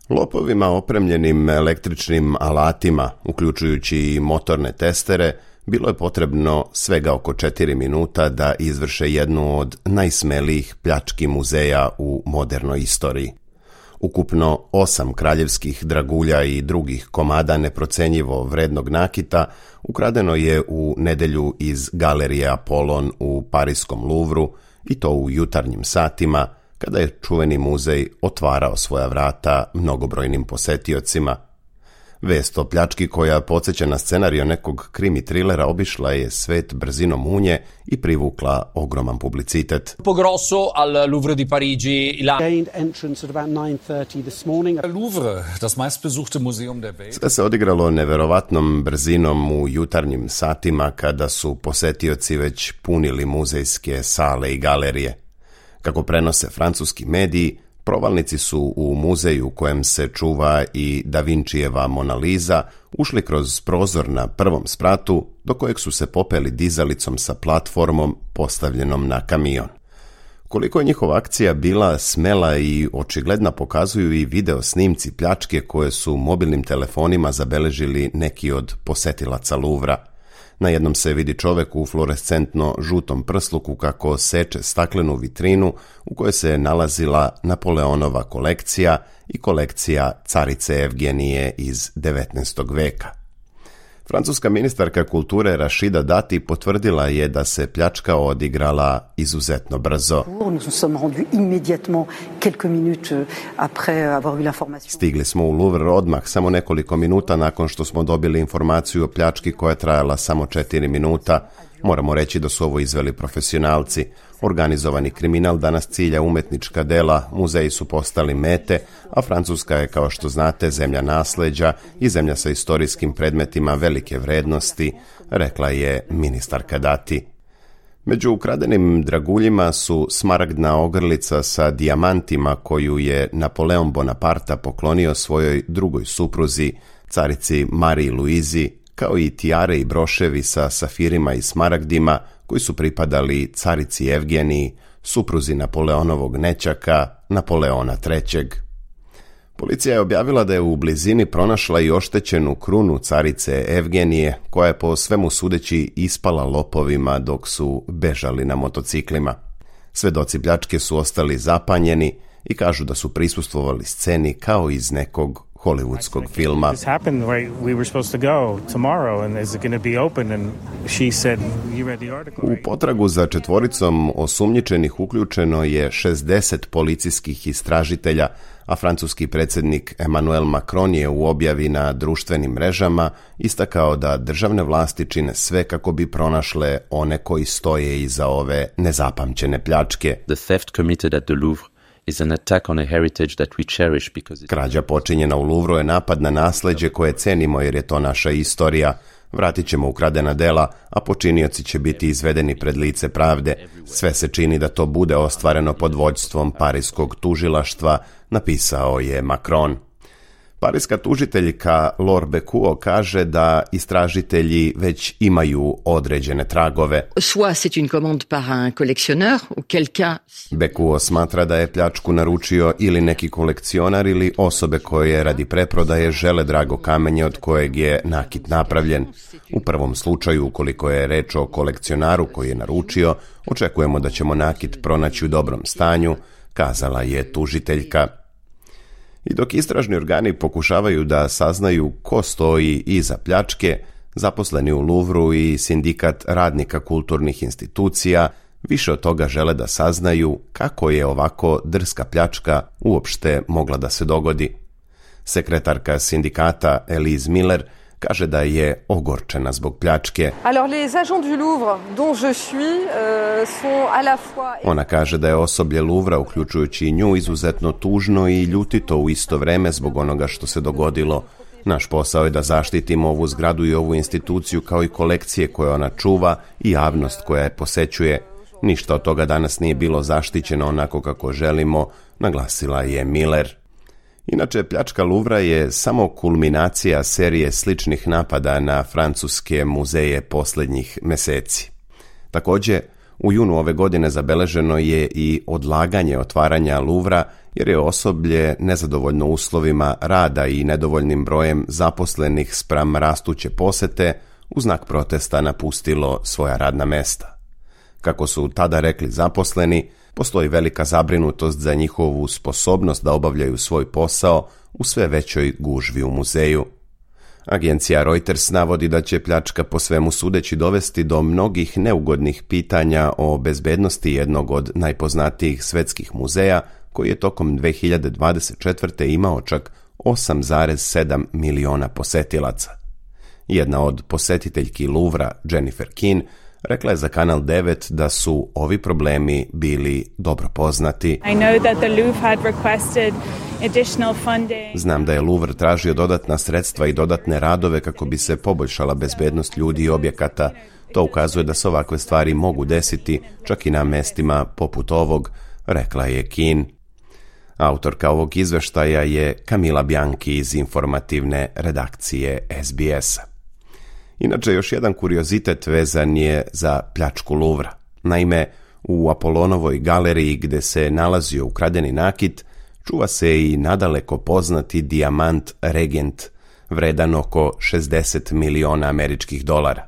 Lopovima opremljenim električnim alatima, uključujući i motorne testere, bilo je potrebno svega oko 4 minuta da izvrše jednu od najsmelijih pljački muzeja u modernoj istoriji. Ukupno 8 kraljevskih dragulja i drugih komada neprocenjivo vrednog nakita ukradeno je u nedjelju iz galerije Apollon u pariskom Louvru, i to u jutarnjim satima, kada je čuveni muzej otvarao svoja vrata mnogobrojnim posetiocima. Vest o pljački koja podsjeća na scenario nekog krimi trilera obišla je svet brzinom munje i privukla ogroman publicitet. Grosso al Louvre di Parigi. Gained entrance at about 9:30 this morning. Louvre, das meistbesuchte Museum der Welt. Sve se odigralo neverovatnom brzinom u jutarnjim satima kada su posetioci već punili muzejske sale i galerije. Kako prenose francuski mediji, provalnici su u muzeju u kojem se čuva i Da Vinčijeva Mona Lisa ušli kroz prozor na prvom spratu, do kojeg su se popeli dizalicom sa platformom postavljenom na kamion. Koliko je njihova akcija bila smela i očigledna pokazuju i video snimci pljačke koje su mobilnim telefonima zabeležili neki od posetilaca Louvra. Na jednom se vidi čovek u fluorescentno žutom prsluku kako seče staklenu vitrinu u kojoj se nalazila Napoleonova kolekcija i kolekcija carice Evgenije iz 19. veka. Francuska ministarka kulture Rashida Dati potvrdila je da se pljačka odigrala izuzetno brzo. Stigli smo u Louvre odmah, samo nekoliko minuta nakon što smo dobili informaciju o pljački koja je trajala samo 4 minuta. Moramo reći da su ovo izveli profesionalci. Organizovani kriminal danas cilja umetnička dela, muzeji su postali mete, a Francuska je, kao što znate, zemlja nasleđa i zemlja sa istorijskim predmetima velike vrednosti, rekla je ministarka Dati. Među ukradenim draguljima su smaragdna ogrlica sa dijamantima koju je Napoleon Bonaparte poklonio svojoj drugoj supruzi, carici Mariji Luizi, kao i tijare i broševi sa safirima i smaragdima koji su pripadali carici Evgeniji, supruzi Napoleonovog nećaka, Napoleona III. Policija je objavila da je u blizini pronašla i oštećenu krunu carice Evgenije, koja je po svemu sudeći ispala lopovima dok su bežali na motociklima. Svedoci pljačke su ostali zapanjeni i kažu da su prisustvovali sceni kao iz nekog hollywoodskog filma. U potragu za četvoricom osumnjičenih uključeno je 60 policijskih istražitelja, a francuski predsjednik Emmanuel Macron je u objavi na društvenim mrežama istakao da državne vlasti čine sve kako bi pronašle one koji stoje iza ove nezapamćene pljačke. The theft committed at the Louvre is an attack on a heritage that we cherish because Krađa počinjena u Louvru je napad na nasleđe koje cenimo jer je to naša istorija. Vratit ćemo ukradena dela, a počinioci će biti izvedeni pred lice pravde. Sve se čini da to bude ostvareno pod vođstvom parijskog tužilaštva, napisao je Macron. Parijska tužiteljka Laure Bekuo kaže da istražitelji već imaju određene tragove. Bekuo smatra da je pljačku naručio ili neki kolekcionar ili osobe koje radi preprodaje žele drago kamenje od kojeg je nakit napravljen. U prvom slučaju, ukoliko je reč o kolekcionaru koji je naručio, očekujemo da ćemo nakit pronaći u dobrom stanju, kazala je tužiteljka. I dok istražni organi pokušavaju da saznaju ko stoji iza pljačke, zaposleni u Louvru i sindikat radnika kulturnih institucija više od toga žele da saznaju kako je ovako drska pljačka uopšte mogla da se dogodi. Sekretarka sindikata Elise Miller kaže da je ogorčena zbog pljačke. Ona kaže da je osoblje Louvra, uključujući i nju, izuzetno tužno i ljutito u isto vreme zbog onoga što se dogodilo. Naš posao je da zaštitimo ovu zgradu i ovu instituciju kao i kolekcije koje ona čuva i javnost koja je posećuje. Ništa od toga danas nije bilo zaštićeno onako kako želimo, naglasila je Miller. Inače, pljačka Louvra je samo kulminacija serije sličnih napada na francuske muzeje posljednjih meseci. Također, u junu ove godine zabeleženo je i odlaganje otvaranja Louvra jer je osoblje nezadovoljno uslovima rada i nedovoljnim brojem zaposlenih spram rastuće posete u znak protesta napustilo svoja radna mesta. Kako su tada rekli zaposleni, Postoji velika zabrinutost za njihovu sposobnost da obavljaju svoj posao u sve većoj gužvi u muzeju. Agencija Reuters navodi da će pljačka po svemu sudeći dovesti do mnogih neugodnih pitanja o bezbednosti jednog od najpoznatijih svetskih muzeja, koji je tokom 2024. imao čak 8,7 miliona posetilaca. Jedna od posjetiteljki Louvra, Jennifer Keane, rekla je za Kanal 9 da su ovi problemi bili dobro poznati. Znam da je Louvre tražio dodatna sredstva i dodatne radove kako bi se poboljšala bezbednost ljudi i objekata. To ukazuje da se ovakve stvari mogu desiti čak i na mestima poput ovog, rekla je Keane. Autorka ovog izveštaja je Camila Bianchi iz informativne redakcije SBS-a. Inače, još jedan kuriozitet vezan je za pljačku Louvra. Naime, u Apolonovoj galeriji gde se nalazio ukradeni nakit, čuva se i nadaleko poznati dijamant Regent, vredan oko 60 miliona američkih dolara.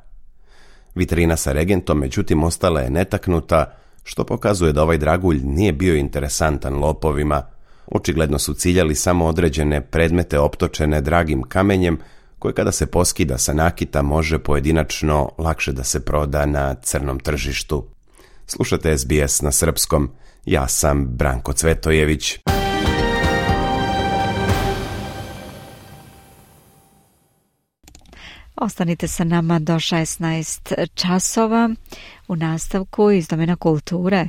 Vitrina sa Regentom, međutim, ostala je netaknuta, što pokazuje da ovaj dragulj nije bio interesantan lopovima. Očigledno su ciljali samo određene predmete optočene dragim kamenjem, koje kada se poskida sa nakita može pojedinačno lakše da se proda na crnom tržištu. Slušate SBS na srpskom. Ja sam Branko Cvetojević. Ostanite sa nama do 16 časova. U nastavku iz domena kulture.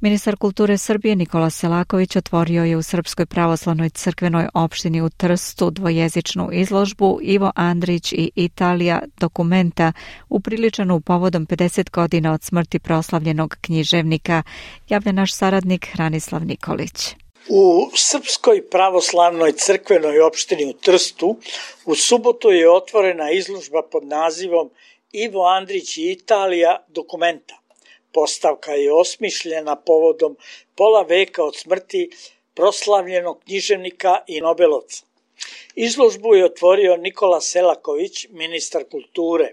Ministar kulture Srbije Nikola Selaković otvorio je u Srpskoj pravoslavnoj crkvenoj opštini u Trstu dvojezičnu izložbu Ivo Andrić i Italija dokumenta upriličenu povodom 50 godina od smrti proslavljenog književnika, javlja naš saradnik Hranislav Nikolić. U Srpskoj pravoslavnoj crkvenoj opštini u Trstu u subotu je otvorena izložba pod nazivom Ivo Andrić i Italija dokumenta. Postavka je osmišljena povodom pola veka od smrti proslavljenog književnika i nobelovca. Izložbu je otvorio Nikola Selaković, ministar kulture.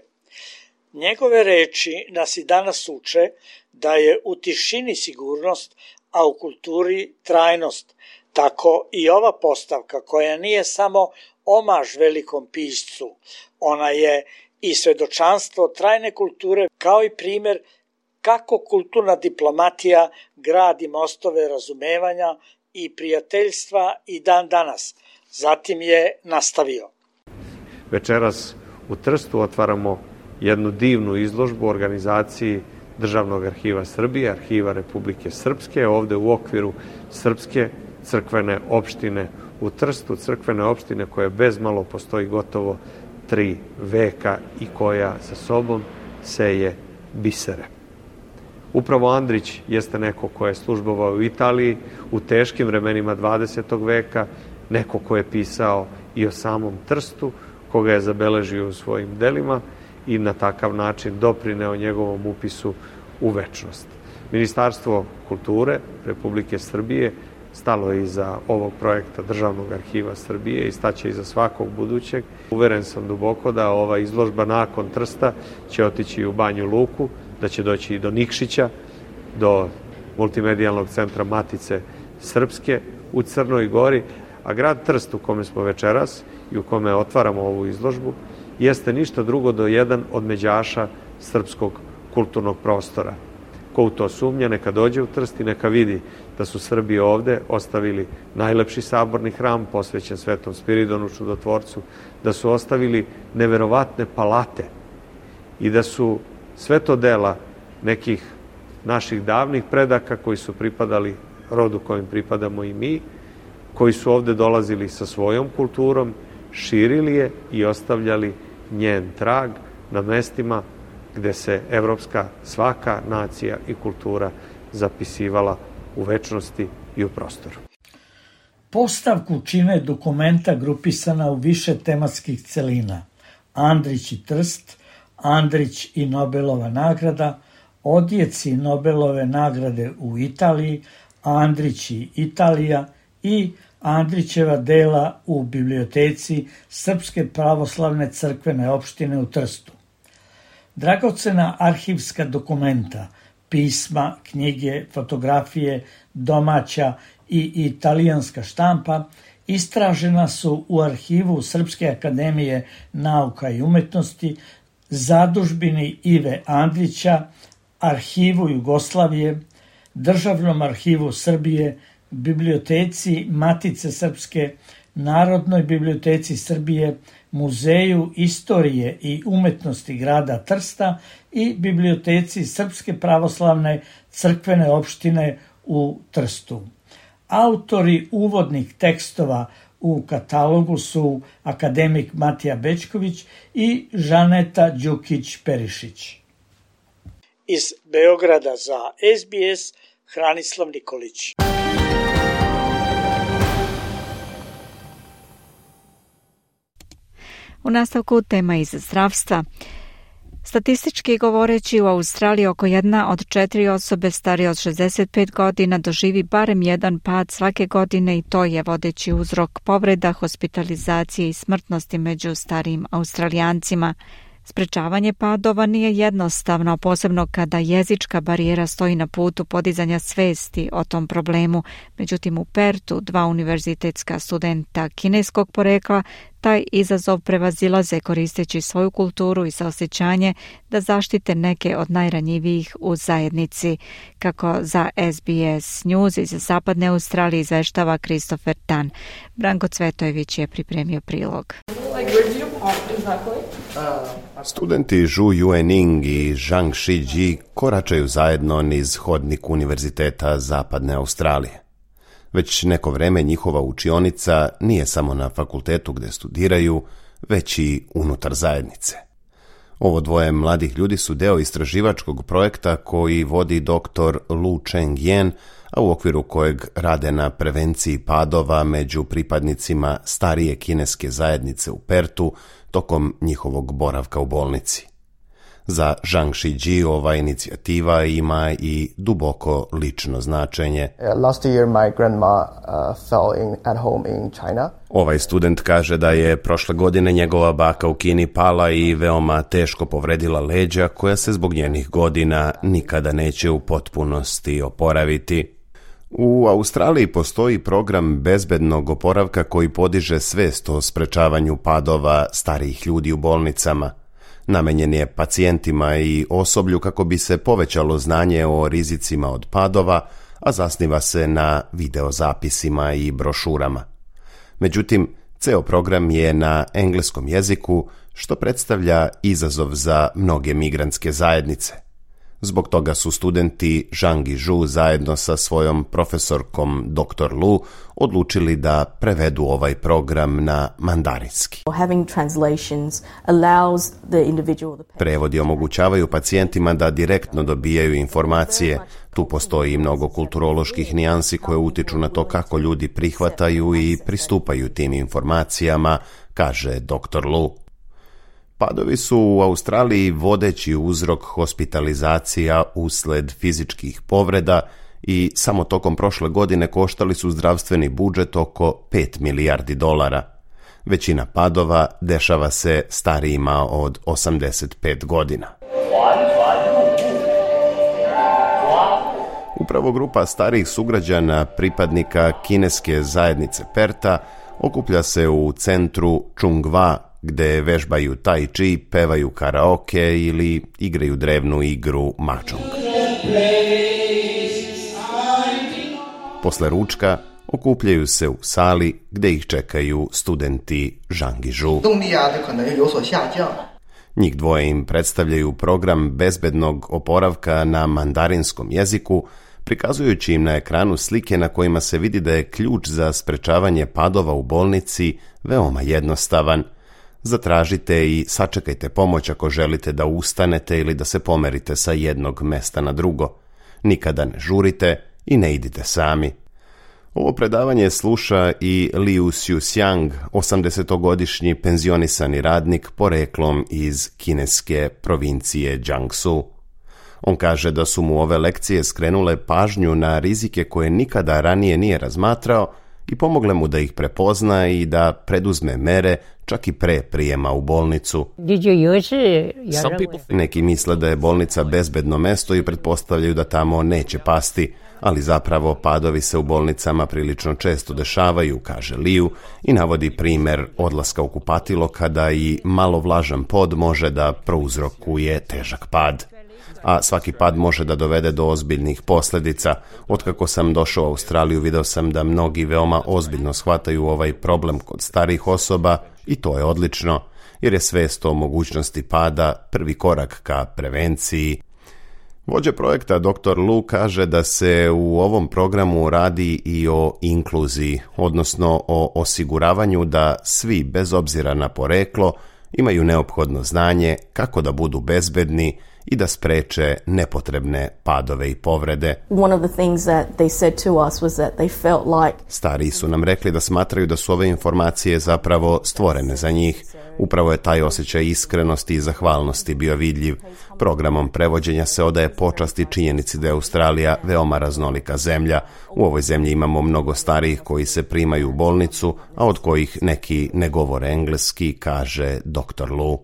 Njegove reči nas i danas uče da je u tišini sigurnost, a u kulturi trajnost. Tako i ova postavka, koja nije samo omaž velikom piscu, ona je i svedočanstvo trajne kulture, kao i primjer kako kulturna diplomatija gradi mostove razumevanja i prijateljstva i dan danas. Zatim je nastavio. Večeras u Trstu otvaramo jednu divnu izložbu u organizaciji Državnog arhiva Srbije, Arhiva Republike Srpske, ovde u okviru Srpske crkvene opštine u Trstu, crkvene opštine koja bezmalo postoji gotovo 3 veka i koja sa sobom seje bisere. Upravo Andrić jeste neko ko je službovao u Italiji u teškim vremenima 20. veka, neko ko je pisao i o samom Trstu, koga je zabeležio u svojim delima i na takav način doprineo njegovom upisu u večnost. Ministarstvo kulture Republike Srbije stalo je iza ovog projekta Državnog arhiva Srbije i staće iza svakog budućeg. Uveren sam duboko da ova izložba nakon Trsta će otići u Banju Luku, da će doći i do Nikšića, do multimedijalnog centra Matice Srpske u Crnoj Gori, a grad Trst u kome smo večeras i u kome otvaramo ovu izložbu jeste ništa drugo do jedan od međaša srpskog kulturnog prostora. Ko u to sumnja, neka dođe u Trst i neka vidi da su Srbi ovde ostavili najlepši saborni hram posvećen Svetom Spiridonu Čudotvorcu, da su ostavili neverovatne palate i da su sve to dela nekih naših davnih predaka koji su pripadali rodu kojim pripadamo i mi, koji su ovde dolazili sa svojom kulturom, širili je i ostavljali njen trag na mestima gde se evropska svaka nacija i kultura zapisivala u večnosti i u prostoru. Postavku čine dokumenta grupisana u više tematskih celina. Andrić i Trst, Andrić i Nobelova nagrada, odjeci Nobelove nagrade u Italiji, Andrić i Italija i Andrićeva dela u biblioteci Srpske pravoslavne crkvene opštine u Trstu. Dragocena arhivska dokumenta pisma, knjige, fotografije, domaća i italijanska štampa istražena su u arhivu Srpske akademije nauka i umetnosti, zadužbini Ive Andrića, arhivu Jugoslavije, Državnom arhivu Srbije, biblioteci Matice Srpske, Narodnoj biblioteci Srbije, Muzeju istorije i umetnosti grada Trsta i biblioteci Srpske pravoslavne crkvene opštine u Trstu. Autori uvodnih tekstova u katalogu su akademik Matija Bećković i Žaneta Đukić-Perišić. Iz Beograda za SBS Hranislav Nikolić. U nastavku tema iz zdravstva. Statistički govoreći, u Australiji oko 1 od 4 osobe starije od 65 godina doživi barem jedan pad svake godine i to je vodeći uzrok povreda, hospitalizacije i smrtnosti među starijim Australijancima. Sprečavanje padova nije jednostavno, posebno kada jezička barijera stoji na putu podizanja svesti o tom problemu. Međutim, u Pertu 2 univerzitetska studenta kineskog porekla taj izazov prevazilaze koristeći svoju kulturu i saosećanje da zaštite neke od najranjivijih u zajednici. Kako za SBS News iz Zapadne Australije izveštava Christopher Tan. Branko Cvetojević je pripremio prilog. Studenti Zhu Yuening i Zhang Shiji koračaju zajedno niz hodnik Univerziteta Zapadne Australije. Već neko vreme njihova učionica nije samo na fakultetu gde studiraju, već i unutar zajednice. Ovo dvoje mladih ljudi su deo istraživačkog projekta koji vodi dr. Lu Cheng-yen, a u okviru kojeg rade na prevenciji padova među pripadnicima starije kineske zajednice u Pertu tokom njihovog boravka u bolnici. Za Zhang Shiji ova inicijativa ima i duboko lično značenje. Last year my grandma fell at home in China. Ovaj student kaže da je prošle godine njegova baka u Kini pala i veoma teško povredila leđa koja se zbog njenih godina nikada neće u potpunosti oporaviti. U Australiji postoji program bezbednog oporavka koji podiže svest o sprečavanju padova starijih ljudi u bolnicama. Namenjen je pacijentima i osoblju kako bi se povećalo znanje o rizicima od padova, a zasniva se na videozapisima i brošurama. Međutim, ceo program je na engleskom jeziku, što predstavlja izazov za mnoge migrantske zajednice. Zbog toga su studenti Zhang i Zhu zajedno sa svojom profesorkom dr. Lu odlučili da prevedu ovaj program na mandarinski. Prevodi omogućavaju pacijentima da direktno dobijaju informacije. Tu postoji mnogo kulturoloških nijansi koje utiču na to kako ljudi prihvataju i pristupaju tim informacijama, kaže dr. Lu. Padovi su u Australiji vodeći uzrok hospitalizacija usled fizičkih povreda i samo tokom prošle godine koštali su zdravstveni budžet oko $5 milijardi. Većina padova dešava se starijima od 85 godina. Upravo grupa starijih sugrađana pripadnika kineske zajednice Perta okuplja se u centru Chungwa, gde vežbaju tai chi, pevaju karaoke ili igraju drevnu igru mahjong. Posle ručka okupljaju se u sali gde ih čekaju studenti Zhang i Zhu. Njih dvoje im predstavljaju program bezbednog oporavka na mandarinskom jeziku, prikazujući im na ekranu slike na kojima se vidi da je ključ za sprečavanje padova u bolnici veoma jednostavan. Zatražite i sačekajte pomoć ako želite da ustanete ili da se pomerite sa jednog mesta na drugo. Nikada ne žurite i ne idite sami. Ovo predavanje sluša i Liu Xiuxiang, 80-godišnji penzionisani radnik poreklom iz kineske provincije Jiangsu. On kaže da su mu ove lekcije skrenule pažnju na rizike koje nikada ranije nije razmatrao i pomogle mu da ih prepozna i da preduzme mere čak i pre prijema u bolnicu. Neki misle da je bolnica bezbedno mesto i pretpostavljaju da tamo neće pasti, ali zapravo padovi se u bolnicama prilično često dešavaju, kaže Liu i navodi primer odlaska u kupatilo kada i malo vlažan pod može da prouzrokuje težak pad. A svaki pad može da dovede do ozbiljnih posljedica. Otkako sam došao u Australiju, video sam da mnogi veoma ozbiljno shvataju ovaj problem kod starijih osoba i to je odlično, jer je svest o mogućnosti pada prvi korak ka prevenciji. Vođa projekta dr. Lu kaže da se u ovom programu radi i o inkluziji, odnosno o osiguravanju da svi, bez obzira na poreklo, imaju neophodno znanje kako da budu bezbedni i da spreče nepotrebne padove i povrede. Stariji su nam rekli da smatraju da su ove informacije zapravo stvorene za njih. Upravo je taj osjećaj iskrenosti i zahvalnosti bio vidljiv. Programom prevođenja se odaje počast i činjenici da je Australija veoma raznolika zemlja. U ovoj zemlji imamo mnogo starijih koji se primaju u bolnicu, a od kojih neki ne govore engleski, kaže dr. Lu.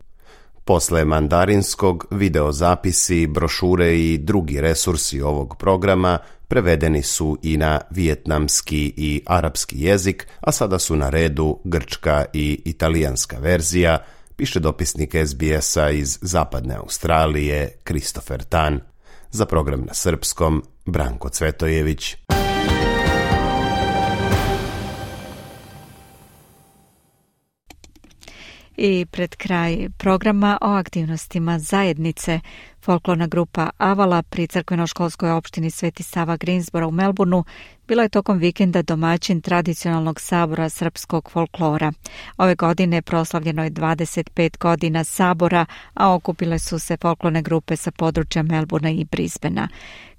Posle mandarinskog, videozapisi, brošure i drugi resursi ovog programa prevedeni su i na vijetnamski i arapski jezik, a sada su na redu grčka i italijanska verzija, piše dopisnik SBS-a iz Zapadne Australije Kristofer Tan. Za program na srpskom, Branko Cvetojević. I pred kraj programa o aktivnostima zajednice, folklorna grupa Avala pri crkveno-školskoj opštini Sveti Sava Greensboro u Melbourneu bila je tokom vikenda domaćin tradicionalnog sabora srpskog folklora. Ove godine proslavljeno je 25 godina sabora, a okupile su se folklorne grupe sa područja Melbournea i Brisbanea.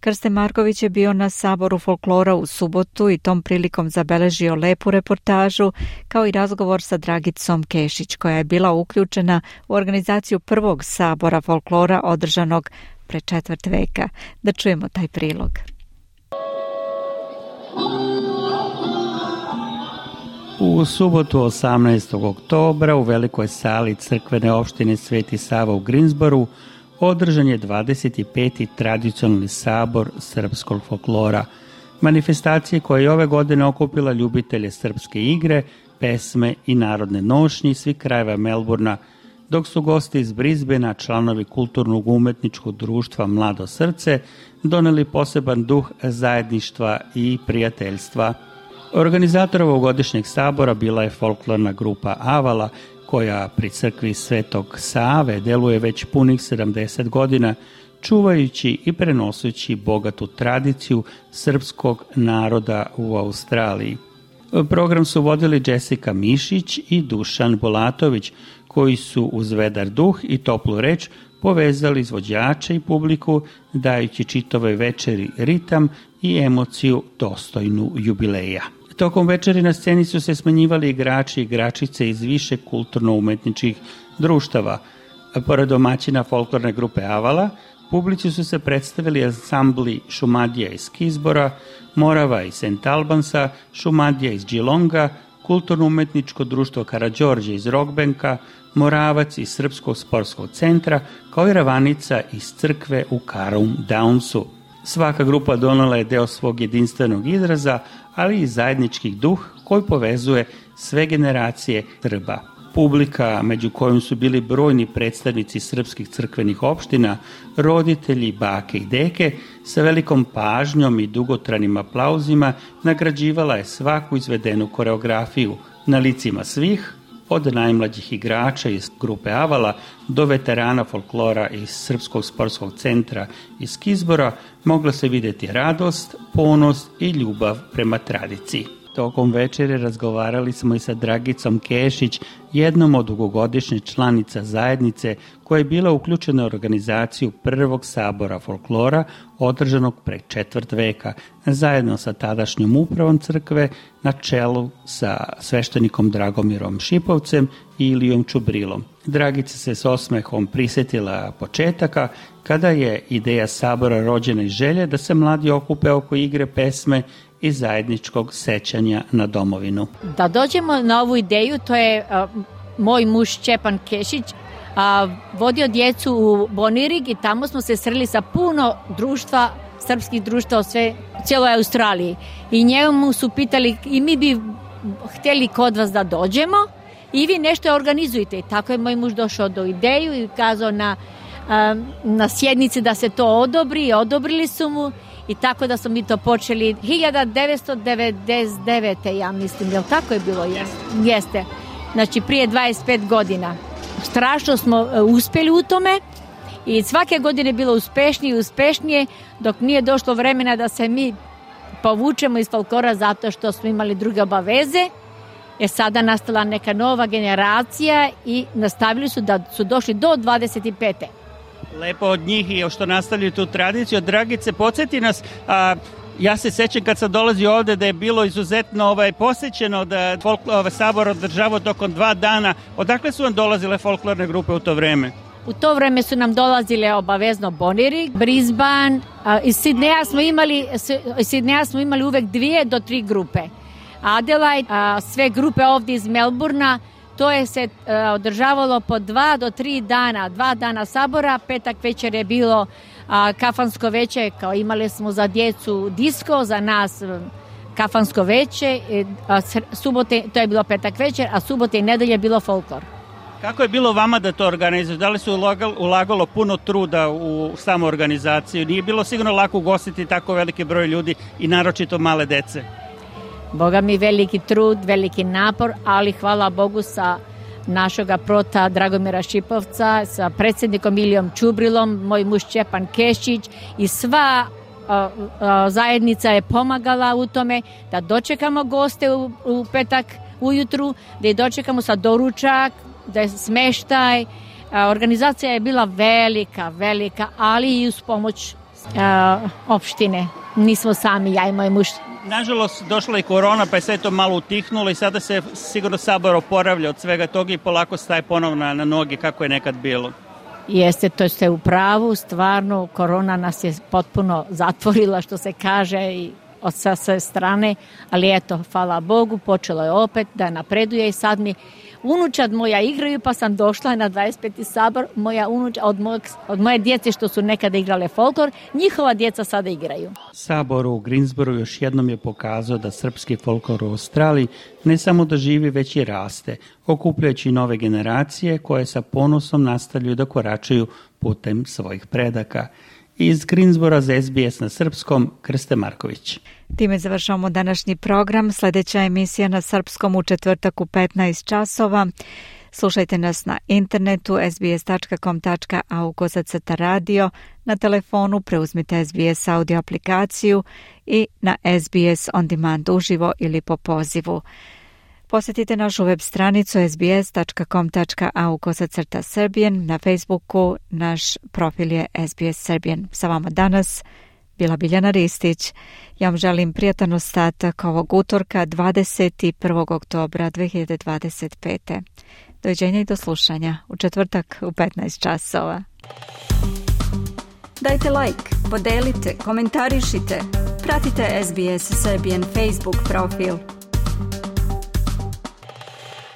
Krste Marković je bio na saboru folklora u subotu i tom prilikom zabeležio lepu reportažu, kao i razgovor sa Dragicom Kešić, koja je bila uključena u organizaciju prvog sabora folklora održanog pre 4 veka. Da čujemo taj prilog. U subotu 18. oktobra u velikoj sali crkvene opštine Sveti Sava u Greensboru održan je 25. tradicionalni sabor srpskog folklora. Manifestacije koja je ove godine okupila ljubitelje srpske igre, pesme i narodne nošnje iz svih krajeva Melbournea, dok su gosti iz Brisbanea, članovi kulturnog umetničkog društva Mlado srce, doneli poseban duh zajedništva i prijateljstva. Organizator ovogodišnjeg sabora bila je folklorna grupa Avala, koja pri crkvi Svetog Save deluje već punih 70 godina, čuvajući i prenosući bogatu tradiciju srpskog naroda u Australiji. Program su vodili Jessica Mišić i Dušan Bolatović, koji su uz vedar duh i toplu reč povezali izvođače i publiku, dajući čitavoj večeri ritam i emociju dostojnu jubileja. Tokom večeri na sceni su se smenjivali igrači i igračice iz više kulturno-umetničkih društava. Pored domaćina folklorne grupe Avala, publici su se predstavili ansambli Šumadija iz Kisbora, Morava iz St. Albansa, Šumadija iz Geelonga, kulturno-umetničko društvo Karađorđe iz Rockbanka, Moravac iz Srpskog sportskog centra, kao i Ravanica iz crkve u Carrum Downsu. Svaka grupa donela je deo svog jedinstvenog izraza, ali i zajednički duh koji povezuje sve generacije Srba. Publika, među kojom su bili brojni predstavnici srpskih crkvenih opština, roditelji, bake i deke, sa velikom pažnjom i dugotranim aplauzima nagrađivala je svaku izvedenu koreografiju. Na licima svih, od najmlađih igrača iz grupe Avala do veterana folklora iz Srpskog sportskog centra iz Kisbora, mogla se vidjeti radost, ponos i ljubav prema tradiciji. Tokom večere razgovarali smo i sa Dragicom Kešić, jednom od dugogodišnje članica zajednice koja je bila uključena u organizaciju prvog sabora folklora održanog pre 4 veka, zajedno sa tadašnjom upravom crkve na čelu sa sveštenikom Dragomirom Šipovcem i Ilijom Čubrilom. Dragica se s osmehom prisjetila početaka kada je ideja sabora rođena iz želje da se mladi okupe oko igre, pesme i zajedničkog sećanja na domovinu. Da dođemo na ovu ideju, to je moj muž Šćepan Kešić vodio djecu u Bonirig i tamo smo se sreli sa puno društva, srpskih društva u cijeloj Australiji. I njemu su pitali i mi bi htjeli kod vas da dođemo i vi nešto organizujete. I tako je moj muž došao do ideju i kazao na sjednici da se to odobri i odobrili su mu i tako da smo mi to počeli 1999. ja mislim, jel tako je bilo? Jeste. Znači prije 25 godina. Strašno smo uspjeli u tome i svake godine je bilo uspešnije i uspešnije dok nije došlo vremena da se mi povučemo iz folklora zato što smo imali druge obaveze. Je sada nastala neka nova generacija i nastavili su da su došli do 25. Lepo od njih i što nastavljaju tu tradiciju. Dragice, podsjeti nas, ja se sećam kad sam dolazio ovde da je bilo izuzetno posećeno da sabor održavao tokom 2 dana. Odakle su vam dolazile folklorne grupe u to vreme? U to vreme su nam dolazile obavezno Bonirig, Brisbane, iz Sidneja smo imali uvek 2 do 3 grupe. Adelaide, sve grupe ovdje iz Melburna, to je se održavalo po 2 do 3 dana, 2 dana sabora, petak večer je bilo kafansko veće, kao imali smo za djecu disko, za nas kafansko veće, subote, to je bilo petak večer, a subote i nedelje je bilo folklor. Kako je bilo vama da to organizujete? Da li su ulagalo puno truda u samu organizaciju? Nije bilo sigurno lako ugostiti tako veliki broj ljudi i naročito male dece? Boga mi veliki trud, veliki napor, ali hvala Bogu sa našoga prota Dragomira Šipovca, sa predsjednikom Ilijom Čubrilom, moj muž Šćepan Kešić i sva zajednica je pomagala u tome da dočekamo goste u petak ujutru, da je dočekamo sa doručak, da je smeštaj. Organizacija je bila velika, ali i uz pomoć opštine. Nismo sami, ja i moj muž. Nažalost, došla i korona, pa je sve to malo utihnulo i sada se sigurno sabor oporavlja od svega toga i polako staje ponovno na noge kako je nekad bilo. Jeste, to ste u pravu, stvarno, korona nas je potpuno zatvorila, što se kaže, i od sve strane, ali eto, hvala Bogu, počelo je opet da napreduje i sad mi unučad moja igraju, pa sam došla na 25. sabor, moja unučad, od moje djece što su nekada igrale folklor, njihova djeca sada igraju. Sabor u Greensboro još jednom je pokazao da srpski folklor u Australiji ne samo da živi, već i raste, okupljajući nove generacije koje sa ponosom nastavljaju da koračaju putem svojih predaka. Iz Greensbora za SBS na srpskom, Krste Marković. Time završavamo današnji program. Sljedeća emisija na srpskom u četvrtak u 15 časova. Slušajte nas na internetu sbs.com.au/radio, na telefonu preuzmite SBS audio aplikaciju i na SBS On Demand uživo ili po pozivu. Posjetite našu web stranicu sbs.com.au/Serbian, na Facebooku naš profil je SBS Serbian. Sa vama danas bila Biljana Ristić. Ja vam želim prijatan ostatak ovog utorka 21. oktobra 2025. Doviđenja i do slušanja u četvrtak u 15 časova. Dajte like, podelite, komentarišite. Pratite SBS Serbian Facebook profil.